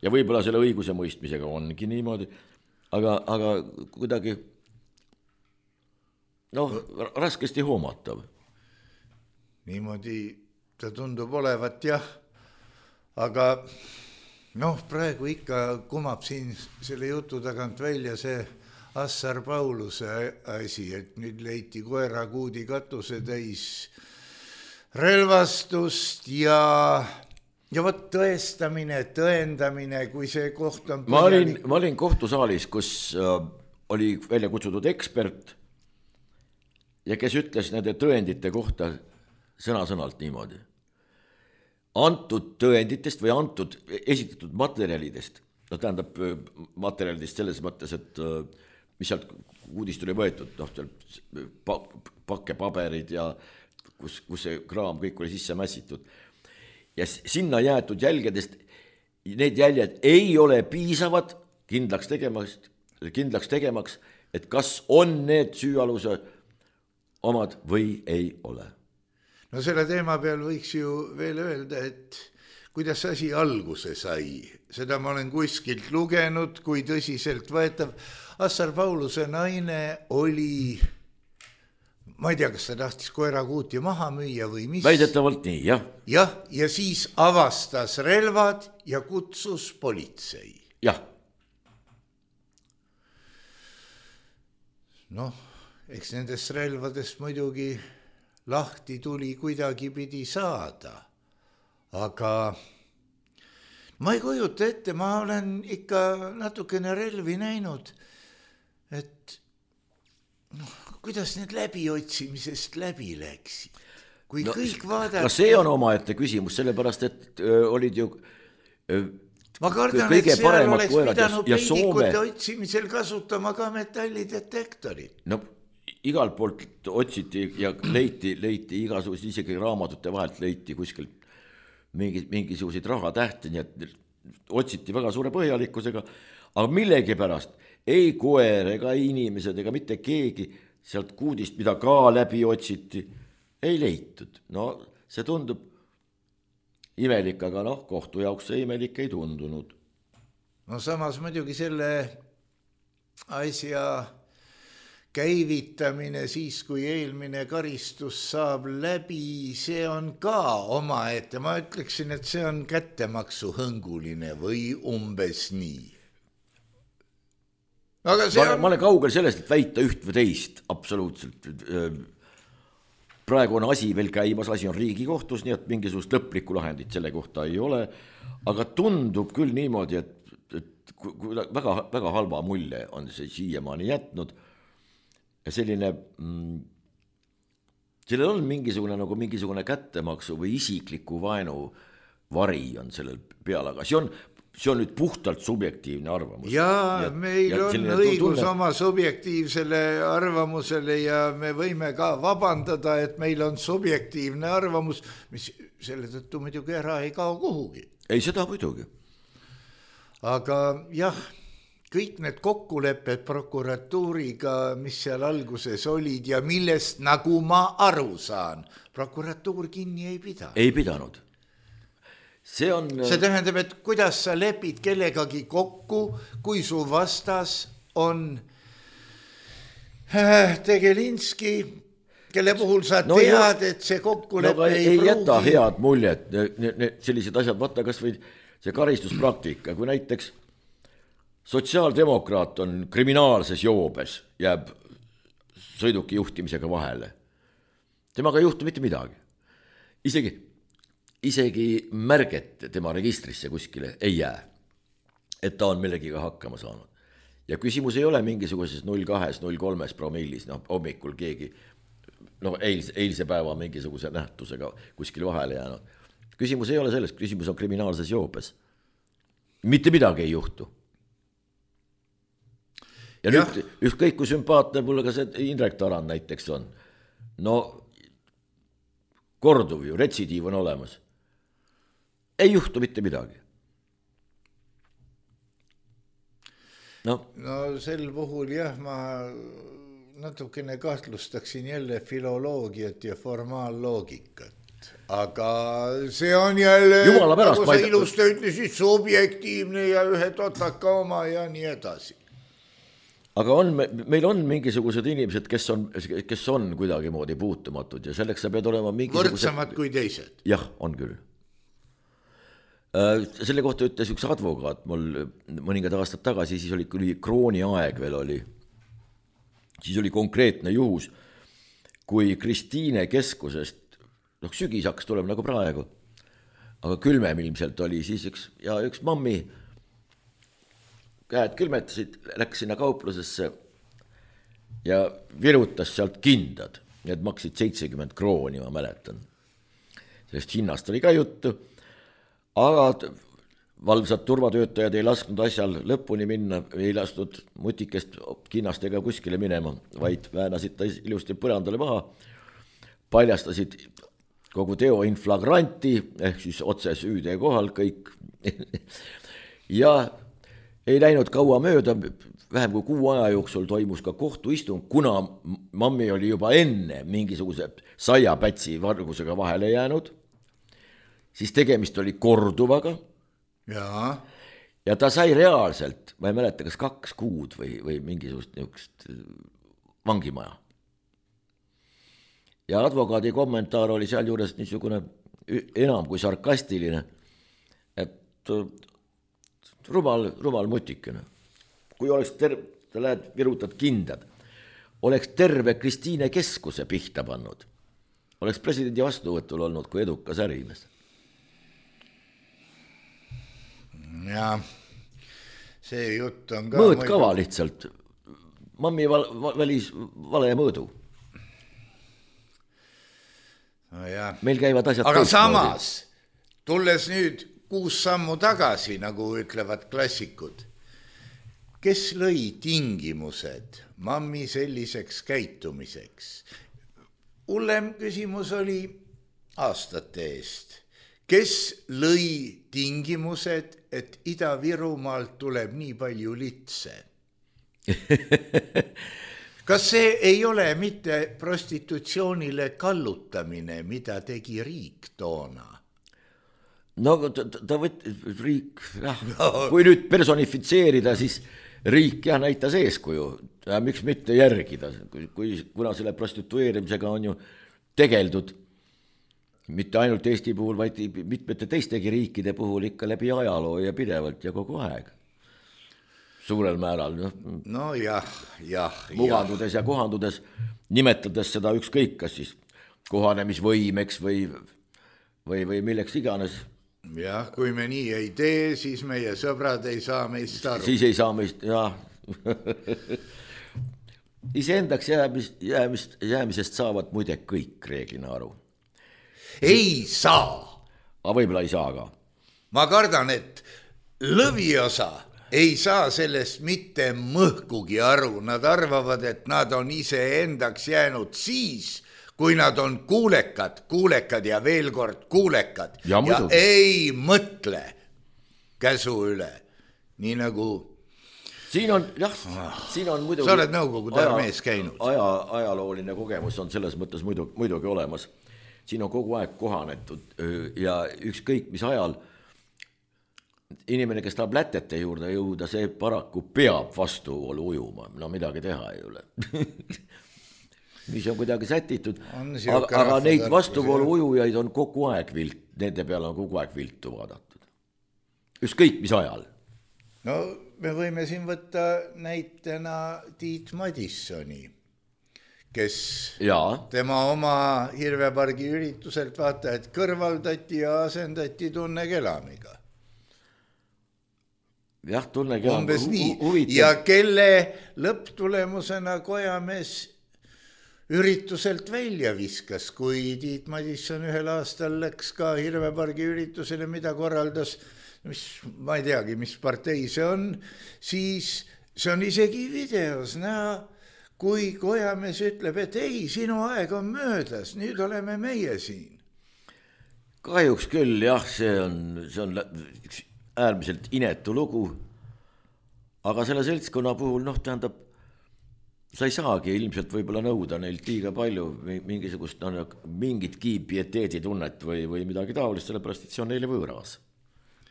ja võib-olla selle õiguse mõistmisega ongi niimoodi, aga kuidagi raskesti hoomatav. Niimoodi ta tundub olevat jah, aga praegu ikka kumab siin selle jutu tagant välja see Assar Pauluse asi, et nüüd leiti koerakuudi katuse täis relvastust ja võt tõestamine, tõendamine, kui see koht on põhjalik. Ma olin kohtusaalis, kus oli välja kutsutud ekspert ja kes ütles nende tõendite kohta sõna-sõnalt niimoodi. Antud tõenditest või antud esitatud materjalidest, tähendab materjalidest selles mõttes, et mis sealt uudist oli võetud, pakkepaberid ja kus see kraam kõik oli sisse mässitud. Ja sinna jäetud jälgedest, need jäljed ei ole piisavad kindlaks tegemaks, et kas on need süüaluse omad või ei ole. No selle teema peal võiks ju veel öelda, et kuidas asi alguse sai. Seda ma olen kuskilt lugenud, kui tõsiselt võetav. Assar Pauluse naine oli, ma ei tea, kas ta tahtis koerakuuti maha müüa või mis. Väidetavalt nii, jah. Jah, ja siis avastas relvad ja kutsus politsei. Jah. Eks nendest relvadest muidugi lahti tuli kuidagi pidi saada, aga ma ei kujuta ette, ma olen ikka natukene relvi näinud, et kuidas need läbiotsimisest läbi läksid, kui kõik vaadati. No see on omaette küsimus, sellepärast, et olid ju ma kardan, et seal oleks pidanud peidikute otsimisel kasutama ka metallidetektorit. Igalt poolt otsiti ja leiti igasugused, isegi raamatute vahelt leiti kuskilt mingisuguseid rahatähti, nii et otsiti väga suure põhjalikkusega, aga millegipärast ei koer ega inimesed ega mitte keegi sealt kuudist, mida ka läbi otsiti, ei leitud. See tundub imelik, aga kohtu jaoks see imelik ei tundunud. Samas muidugi selle asja käivitamine siis, kui eelmine karistus saab läbi, see on ka omaette. Ma ütleksin, et see on kättemaksu hõnguline või umbes nii. Aga ma olen kaugel sellest, et väita üht või teist, absoluutselt. Praegu on asi veel käimas, asi on Riigikohtus, nii et mingisugust lõplikku lahendit selle kohta ei ole, aga tundub küll niimoodi, et väga, väga halva mulje on see siiamaani jätnud. Ja sellel on mingisugune kättemaksu või isikliku vaenu vari on sellel peal, aga see on nüüd puhtalt subjektiivne arvamus. Ja meil on õigus oma subjektiivsele arvamusele ja me võime ka vabandada, et meil on subjektiivne arvamus, mis selle tõttu muidugi ära ei kao kuhugi. Ei, seda muidugi. Aga jah, kõik need kokkulepped prokuratuuriga, mis seal alguses olid ja millest, nagu ma aru saan, prokuratuur kinni ei pidanud. Ei pidanud. See tähendab, et kuidas sa lepid kellegagi kokku, kui su vastas on Tegelinski, kelle puhul sa tead, et see kokkulepe ei pruugi. Jäta head muljet, sellised asjad, vaata kas või see karistuspraktika, kui näiteks sotsiaaldemokraat on kriminaalses joobes, jääb sõiduki juhtimisega vahele. Temaga ei juhtu mitte midagi. Isegi märget tema registrisse kuskile ei jää, et ta on millegiga hakkama saanud. ja küsimus ei ole mingisuguses 0,2, 0,3 promillis, hommikul keegi, eilse päeva mingisuguse nähtusega kuskil vahele jäänud. Küsimus ei ole selles, küsimus on kriminaalses joobes. Mitte midagi ei juhtu. Ja nüüd ükskõik kui sümpaatne mulle ka see Indrek Tarand näiteks on. Korduv ju, retsidiiv on olemas. Ei juhtu mitte midagi. No sel puhul ma natukene kahtlustaksin jälle filoloogiat ja formaaloogikat. Aga see on jälle, nagu sa ilusti ütlesid, subjektiivne ja ühe totaka oma ja nii edasi. Aga meil on mingisugused inimesed, kes on kuidagi moodi puutumatud ja selleks sa pead olema mingisugused... Võrdsamad kui teised. Jah, on küll. Selle kohta ütles üks advokaat mul mõningad aastad tagasi, siis oli krooni aeg veel oli. Siis oli konkreetne juhus, kui Kristiine keskusest, sügis hakkas tulema nagu praegu, aga külmem ilmselt oli siis üks mammi käed külmetasid, läks sinna kauplusesse ja virutas sealt kindad. Need maksid 70 krooni, ma mäletan. Sellest hinnast oli ka juttu, aga valvsad turvatöötajad ei lasknud asjal lõpuni minna, ei lasknud mutikest kinnastega kuskile minema, vaid väänasid ta ilusti põrandale maha, paljastasid kogu teo inflagranti, ehk siis otse süüde kohal kõik. Ja ei läinud kaua mööda, vähem kui 6 aja jooksul toimus ka kohtuistung, kuna mammi oli juba enne mingisuguse saiapätsi vargusega vahele jäänud, siis tegemist oli korduvaga. Ja ta sai reaalselt, ma ei mäleta, kas 2 kuud või mingisugust niisugust vangimaja. Ja advokaadi kommentaar oli seal juures niisugune enam kui sarkastiline, et rumal mutikene. Kui oleks sa lähed virutad kindad, oleks terve Kristiine keskuse pihta pannud. Oleks presidendi vastuvõtul olnud kui edukas ärimees. Ja see jutt on ka... Mõõtkava lihtsalt. Mammi valis vale mõõdu. Meil käivad asjad... Aga samas, tulles nüüd 6 sammu tagasi, nagu ütlevad klassikud, kes lõi tingimused mammi selliseks käitumiseks? Hullem küsimus oli aastate eest. Kes lõi tingimused, et Ida-Virumaalt tuleb nii palju litse? Kas see ei ole mitte prostitutsioonile kallutamine, mida tegi riik toona? No ta võttis riik, kui nüüd personifitseerida, siis riik näitas eeskuju. Miks mitte järgida, kuna selle prostitueerimisega on ju tegeldud mitte ainult Eesti puhul, vaid mitmete teistegi riikide puhul ikka läbi ajaloo ja pidevalt ja kogu aeg. Suurel määral. No jah. Mugandudes ja kohandudes, nimetades seda ükskõik, kas siis kohanemisvõimeks või milleks iganes. Jah, kui me nii ei tee, siis meie sõbrad ei saa meist aru. Siis ei saa meist, jah. Iseendaks jäämisest saavad muide kõik reeglina aru. Ei saa. Aga võib-olla ei saa ka. Ma kardan, et lõviosa ei saa sellest mitte mõhkugi aru. Nad arvavad, et nad on iseendaks jäänud siis, kui nad on kuulekad ja veel kord kuulekad ja ei mõtle käsu üle. Nii nagu... Siin on muidugi... Sa oled Nõukogude armees käinud. Ajalooline kogemus on selles mõttes muidugi olemas. Siin on kogu aeg kohanetud ja ükskõik mis ajal inimene, kes tahab lätete juurde jõuda, see paraku peab vastuvoolu ujuma. No midagi teha ei ole. Mis on kuidagi sätitud. Aga neid vastuvoolu ujujaid on kogu aeg nende peale on kogu aeg viltu vaadatud. Ükskõik mis ajal. No me võime siin võtta näitena Tiit Madissoni, kes tema oma Hirvepargi ürituselt vaata, et kõrvaldati ja asendati Tunne Kelamiga. jah, tunnegi umbes nii. Ja kelle lõpptulemusena Kojamees ürituselt välja viskas, kui Tiit Madisson ühel aastal läks ka Hirvepargi üritusele, mida korraldas, mis, ma ei teagi, mis partei see on, siis see on isegi videos näha, kui Kojamees ütleb, et ei, sinu aeg on möödas, nüüd oleme meie siin. Kahjuks küll, jah, see on äärmiselt inetu lugu, aga selle seltskonna puhul, tähendab, sa ei saagi ilmselt võib-olla nõuda neilt liiga palju mingisugust, mingitki pieteeditunnet või midagi taolist, sellepärast, et see on neile võõras.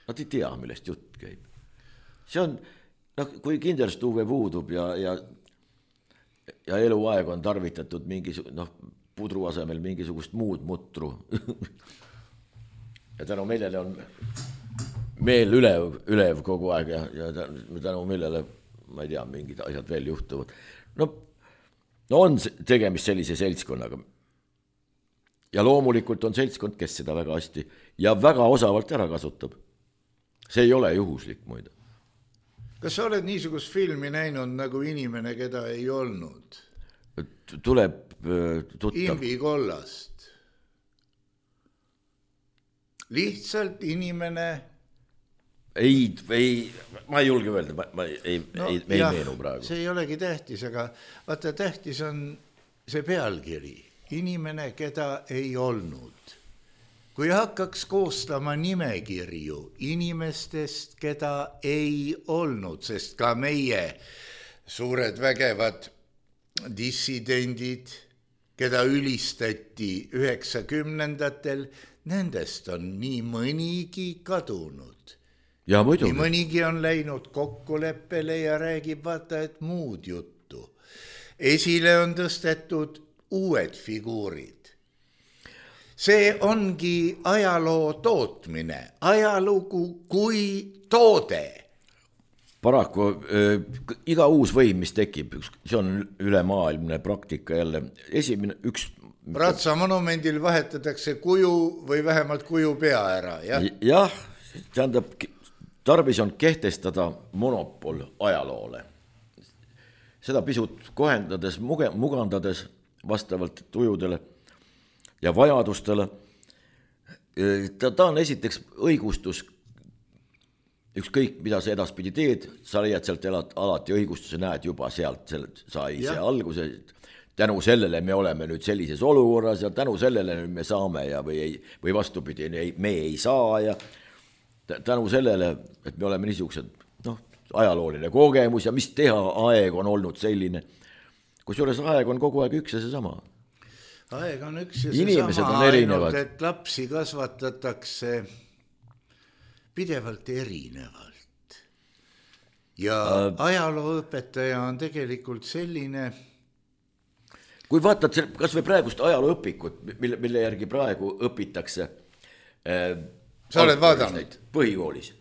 Nad ei tea, millest jutt käib. See on, kui kinderstuuve puudub ja eluaeg on tarvitatud pudru asemel mingisugust muud mutru ja tänu millele on meel ülev kogu aeg ja tänu millele, ma ei tea, mingid asjad veel juhtuvad. On tegemist sellise seltskonnaga. Ja loomulikult on seltskond, kes seda väga hästi ja väga osavalt ära kasutab. See ei ole juhuslik muide. Kas sa oled niisugust filmi näinud nagu Inimene, keda ei olnud? Tuleb tuttav. Imbi Kollast. Lihtsalt inimene... Ei, ma ei julge öelda, ma ei meenu praegu. See ei olegi tähtis, aga vaata, tähtis on see pealkiri. Inimene, keda ei olnud. Kui hakkaks koostama nimekirju inimestest, keda ei olnud, sest ka meie suured vägevad dissidendid, keda ülistati 90-ndatel, nendest on nii mõnigi kadunud. Ja muidugi. Nii mõnigi on läinud kokkuleppele ja räägib vaata, et muud juttu. Esile on tõstetud uued figuurid. See ongi ajaloo tootmine, ajalugu kui toode. Paraku iga uus võim, mis tekib, see on ülemaailmne praktika jälle. Esimene, Ratsa monumendil vahetatakse kuju või vähemalt kuju pea ära. Jah, tähendab, tarvis on kehtestada monopol ajaloole. Seda pisut kohendades, mugandades vastavalt tujudele ja vajadustele. Ta on esiteks õigustus, ükskõik mida sa edaspidi teed, sa leiad sealt alati õigustuse, näed juba sealt sai see alguse. Tänu sellele me oleme nüüd sellises olukorras ja tänu sellele nüüd me saame või vastupidi, me ei saa ja tänu sellele, et me oleme niisugused, ajalooline kogemus ja mis teha, aeg on olnud selline. Kusjuures aeg on kogu aeg üks ja see sama. Aeg on üks ja Inimesed see sama, ainult et lapsi kasvatatakse pidevalt erinevalt. Ja ajalooõpetaja on tegelikult selline... Kui vaatad kas või praegust ajalooõpikut, mille järgi praegu õpitakse... Sa oled vaadanud? Põhikoolis.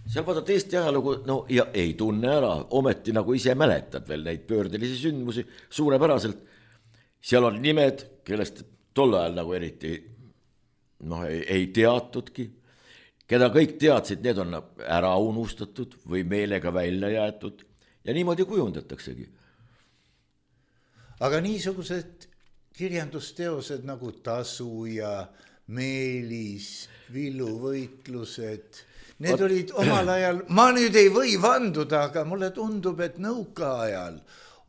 Seal vaatad Eesti ajalugu, ja ei tunne ära, ometi nagu ise mäletad veel neid pöördelisi sündmusi suurepäraselt. Seal on nimed, kellest tol ajal nagu eriti ei teatudki. Keda kõik teadsid, need on ära unustatud või meelega välja jäetud ja niimoodi kujundataksegi. Aga niisugused kirjandusteosed nagu Tasu ja Meelis, Villuvõitlused, need olid omal ajal, ma nüüd ei või vanduda, aga mulle tundub, et nõukaajal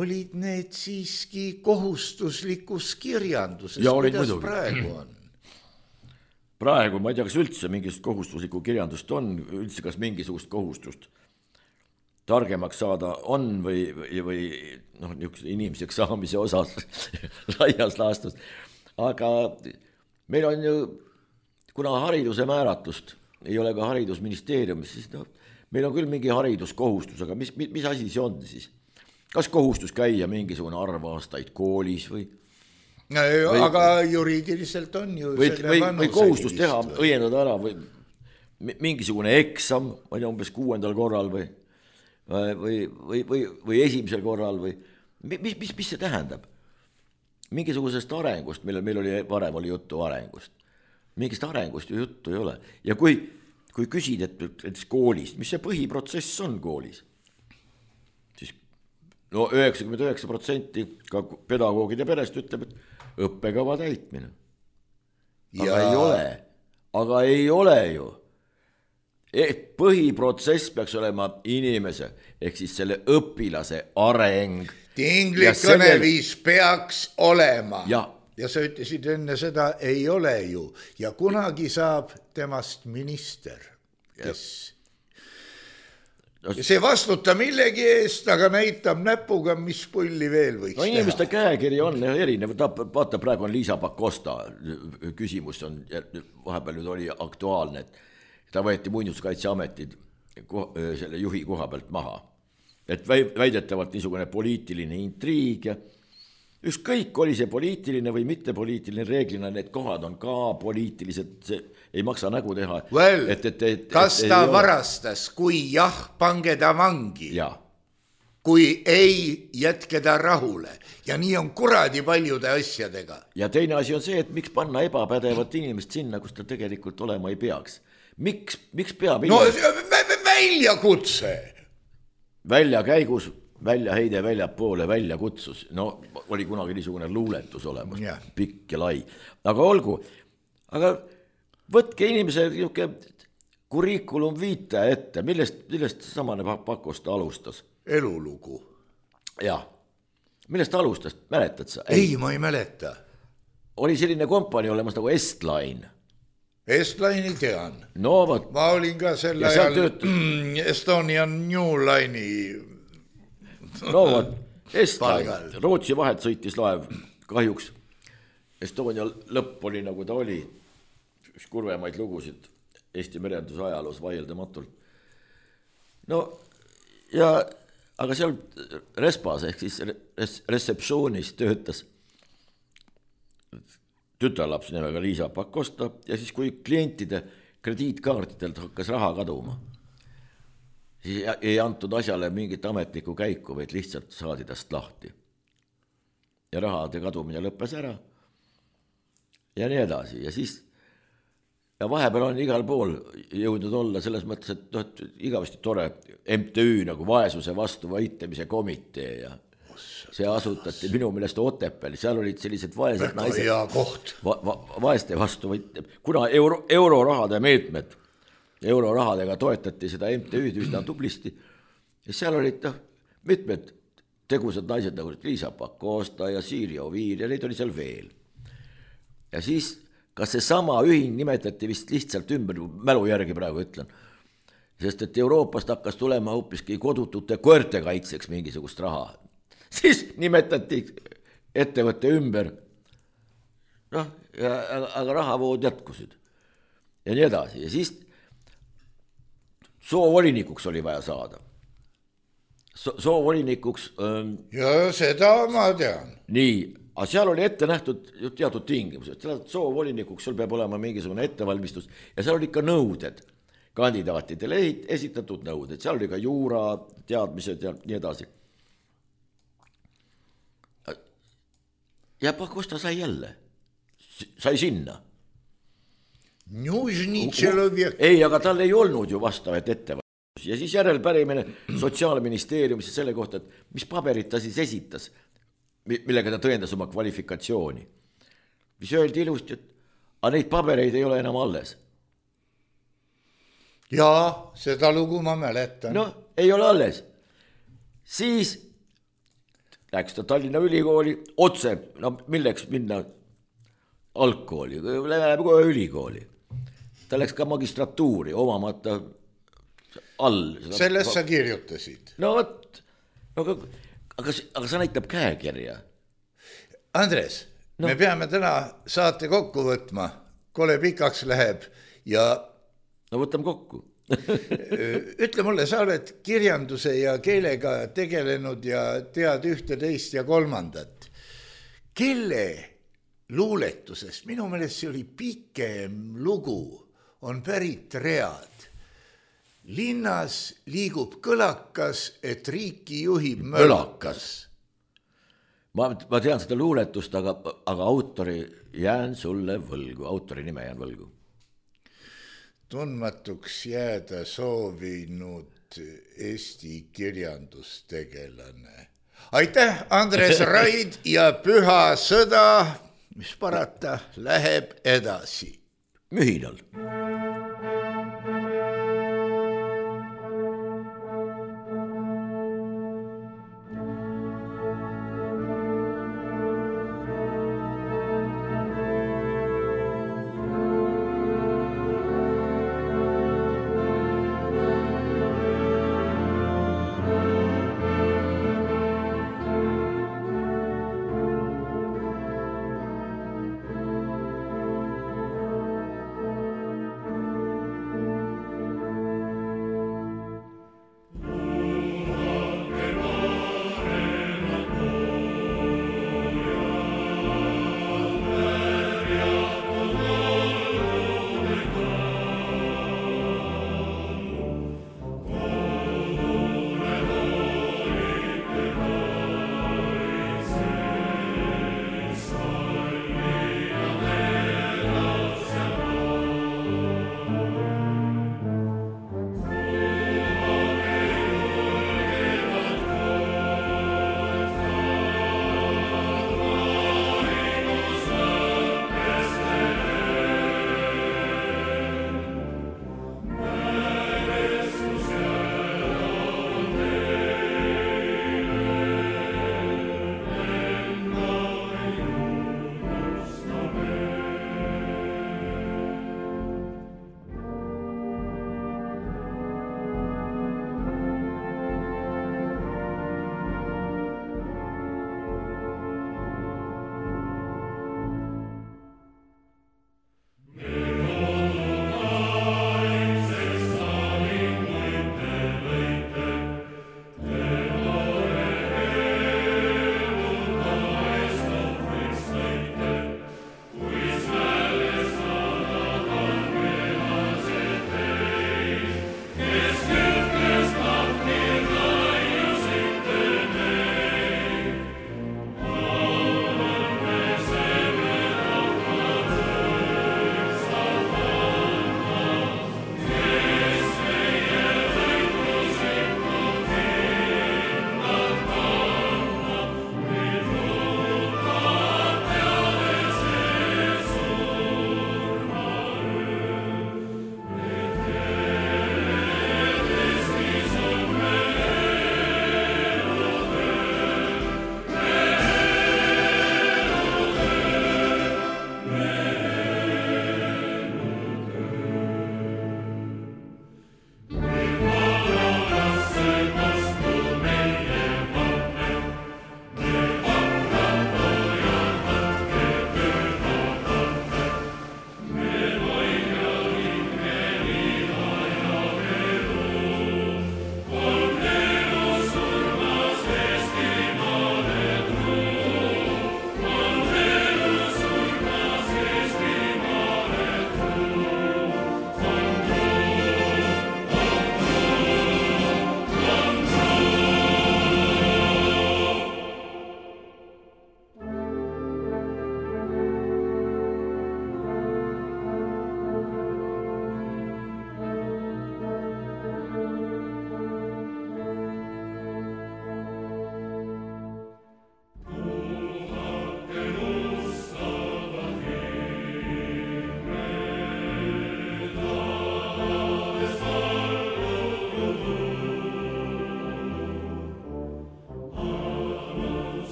olid need siiski kohustuslikus kirjanduses, kuidas praegu on. Praegu ma ei tea, kas üldse mingist kohustuslikku kirjandust on, üldse kas mingisugust kohustust targemaks saada on või inimeseks saamise osas laias laastus. Aga meil on ju, kuna hariduse määratlust ei ole ka haridusministeeriumis, siis meil on küll mingi hariduskohustus, aga mis asi see on siis? Kas kohustus käia mingisugune arv aastaid koolis või? Aga juriidiliselt on ju või kohustus teha, õiendada ära või mingisugune eksam, ma ei tea, umbes 6. korral või esimesel korral või mis see tähendab? Mingisugusest arengust, meil varem oli juttu arengust. Mingist arengust ju juttu ei ole. Ja kui kui küsid, et koolis, mis see põhiprotsess on koolis, siis no 99% ka pedagoogide perest ütleb, et õppekava täitmine. Aga ei ole ju. Et põhiprotsess peaks olema inimese ehk siis selle õpilase areng. Tinglik kõneviis peaks olema. Ja sa ütlesid enne seda, ei ole ju. Ja kunagi saab temast minister, kes see vastuta millegi eest, aga näitab näpuga, mis pulli veel võiks teha. Inimeste käekiri on erinev. Vaata, praegu on Liisa Pakosta küsimus on, vahepeal nüüd oli aktuaalne, et ta võeti Muinsuskaitseametid selle juhi koha pealt maha. Et väidetavalt niisugune poliitiline intriig ja ükskõik oli see poliitiline või mitte poliitiline, reeglina need kohad on ka poliitilised, ei maksa nägu teha. Kas ta varastas, kui jah, pange ta vangi. Ja. Kui ei, jätke ta rahule. Ja nii on kuradi paljude asjadega. Ja teine asi on see, et miks panna ebapädevat inimest sinna, kus ta tegelikult olema ei peaks. Miks peab inimest... väljakutse. Väljakäigus, väljaheide väljapoole, väljakutsus. No oli kunagi niisugune luuletus olemas, pikk ja lai. Aga olgu, aga võtke inimese kurikulum viite ette, millest samane Pakosta alustas? Elulugu. Jah, millest alustas, mäletad sa? Ei, ma ei mäleta. Oli selline kompanii olemas nagu Estline. Estline'i tean. No võt. Ma olin ka selle ajal Estonian New Line'i. No võt, Estline, Rootsi vahet sõitis laev, kahjuks Estonia lõpp oli nagu ta oli, üks kurvemaid lugusid Eesti merenduse ajaloos vaieldamatult. No ja, aga seal Respas ehk siis reseptsioonis töötas tütarlaps nimega Liisa Pakosta ja siis kui klientide krediitkaartidelt hakkas raha kaduma, siis ei antud asjale mingit ametlikku käiku, vaid lihtsalt saadi tast lahti. Ja rahade kadumine lõppes ära ja nii edasi. Ja siis ja vahepeal on igal pool jõudnud olla selles mõttes, et igavesti tore MTÜ nagu vaesuse vastu võitlemise komitee ja see asutati minu meelest Otepääl, seal olid sellised vaesed naised vaeste vastu võitleb, kuna eurorahade meetmed, eurorahadega toetati seda MTÜ-d üsna tublisti ja seal olid mitmed tegusad naised nagu Liisa Pakosta ja Siiri Oviir ja neid oli seal veel. Ja siis kas see sama ühing nimetati vist lihtsalt ümber, mälu järgi praegu ütlen, sest et Euroopast hakkas tulema hoopiski kodutute koerte kaitseks mingisugust raha. Siis nimetati ettevõtte ümber, aga rahavood jätkusid ja nii edasi. Ja siis soovolinikuks oli vaja saada. Soovolinikuks... Ja seda ma tean. Nii, aga seal oli ette nähtud teatud tingimused. Soovolinikuks sul peab olema mingisugune ettevalmistus ja seal oli ka nõuded. Kandidaatidele esitatud nõuded. Seal oli ka juura teadmised ja nii edasi. Ja Pakosta sai jälle. Sai sinna. Ei, aga tal ei olnud ju vastavat ettevalmistus. Ja siis järelpärimine Sotsiaalministeeriumis selle kohta, et mis paberit ta siis esitas, millega ta tõendas oma kvalifikatsiooni. Mis öeldi ilusti, et neid pabereid ei ole enam alles. Jaa, seda lugu ma mäletan. No, ei ole alles. Siis läks ta Tallinna ülikooli otse, no milleks minna algkooli, läheb kohe ülikooli. Ta läks ka magistratuuri omamata all. Sellest sa kirjutasid. No võt, aga sa näitab käekirja. Andres, me peame täna saate kokku võtma, kole pikaks läheb ja... No võtame kokku. Ütle mulle, sa oled kirjanduse ja keelega tegelenud ja tead ühte, teist ja kolmandat. Kelle luuletusest, minu meelest see oli pikem lugu, on pärit read. Linnas liigub kõlakas, et riiki juhib mölakas. Ma tean seda luuletust, aga autori jään sulle võlgu, autori nime jään võlgu. tundmatuks jääda soovinud Eesti kirjandustegelane. Aitäh, Andres Raid ja Püha sõda, mis parata, läheb edasi. Mühinal.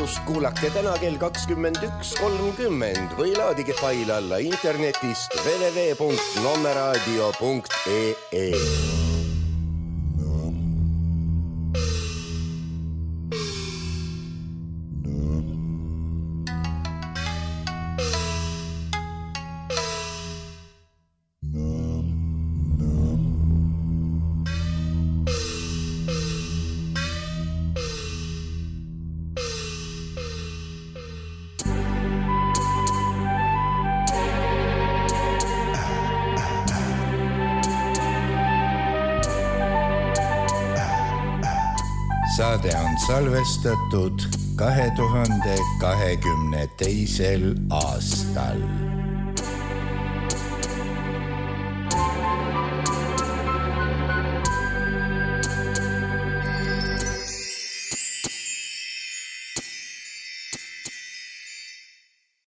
salvestust kuulake täna kell 21.30 või laadige fail alla internetist www.nommeradio.ee. Saade on salvestatud 2022. aastal.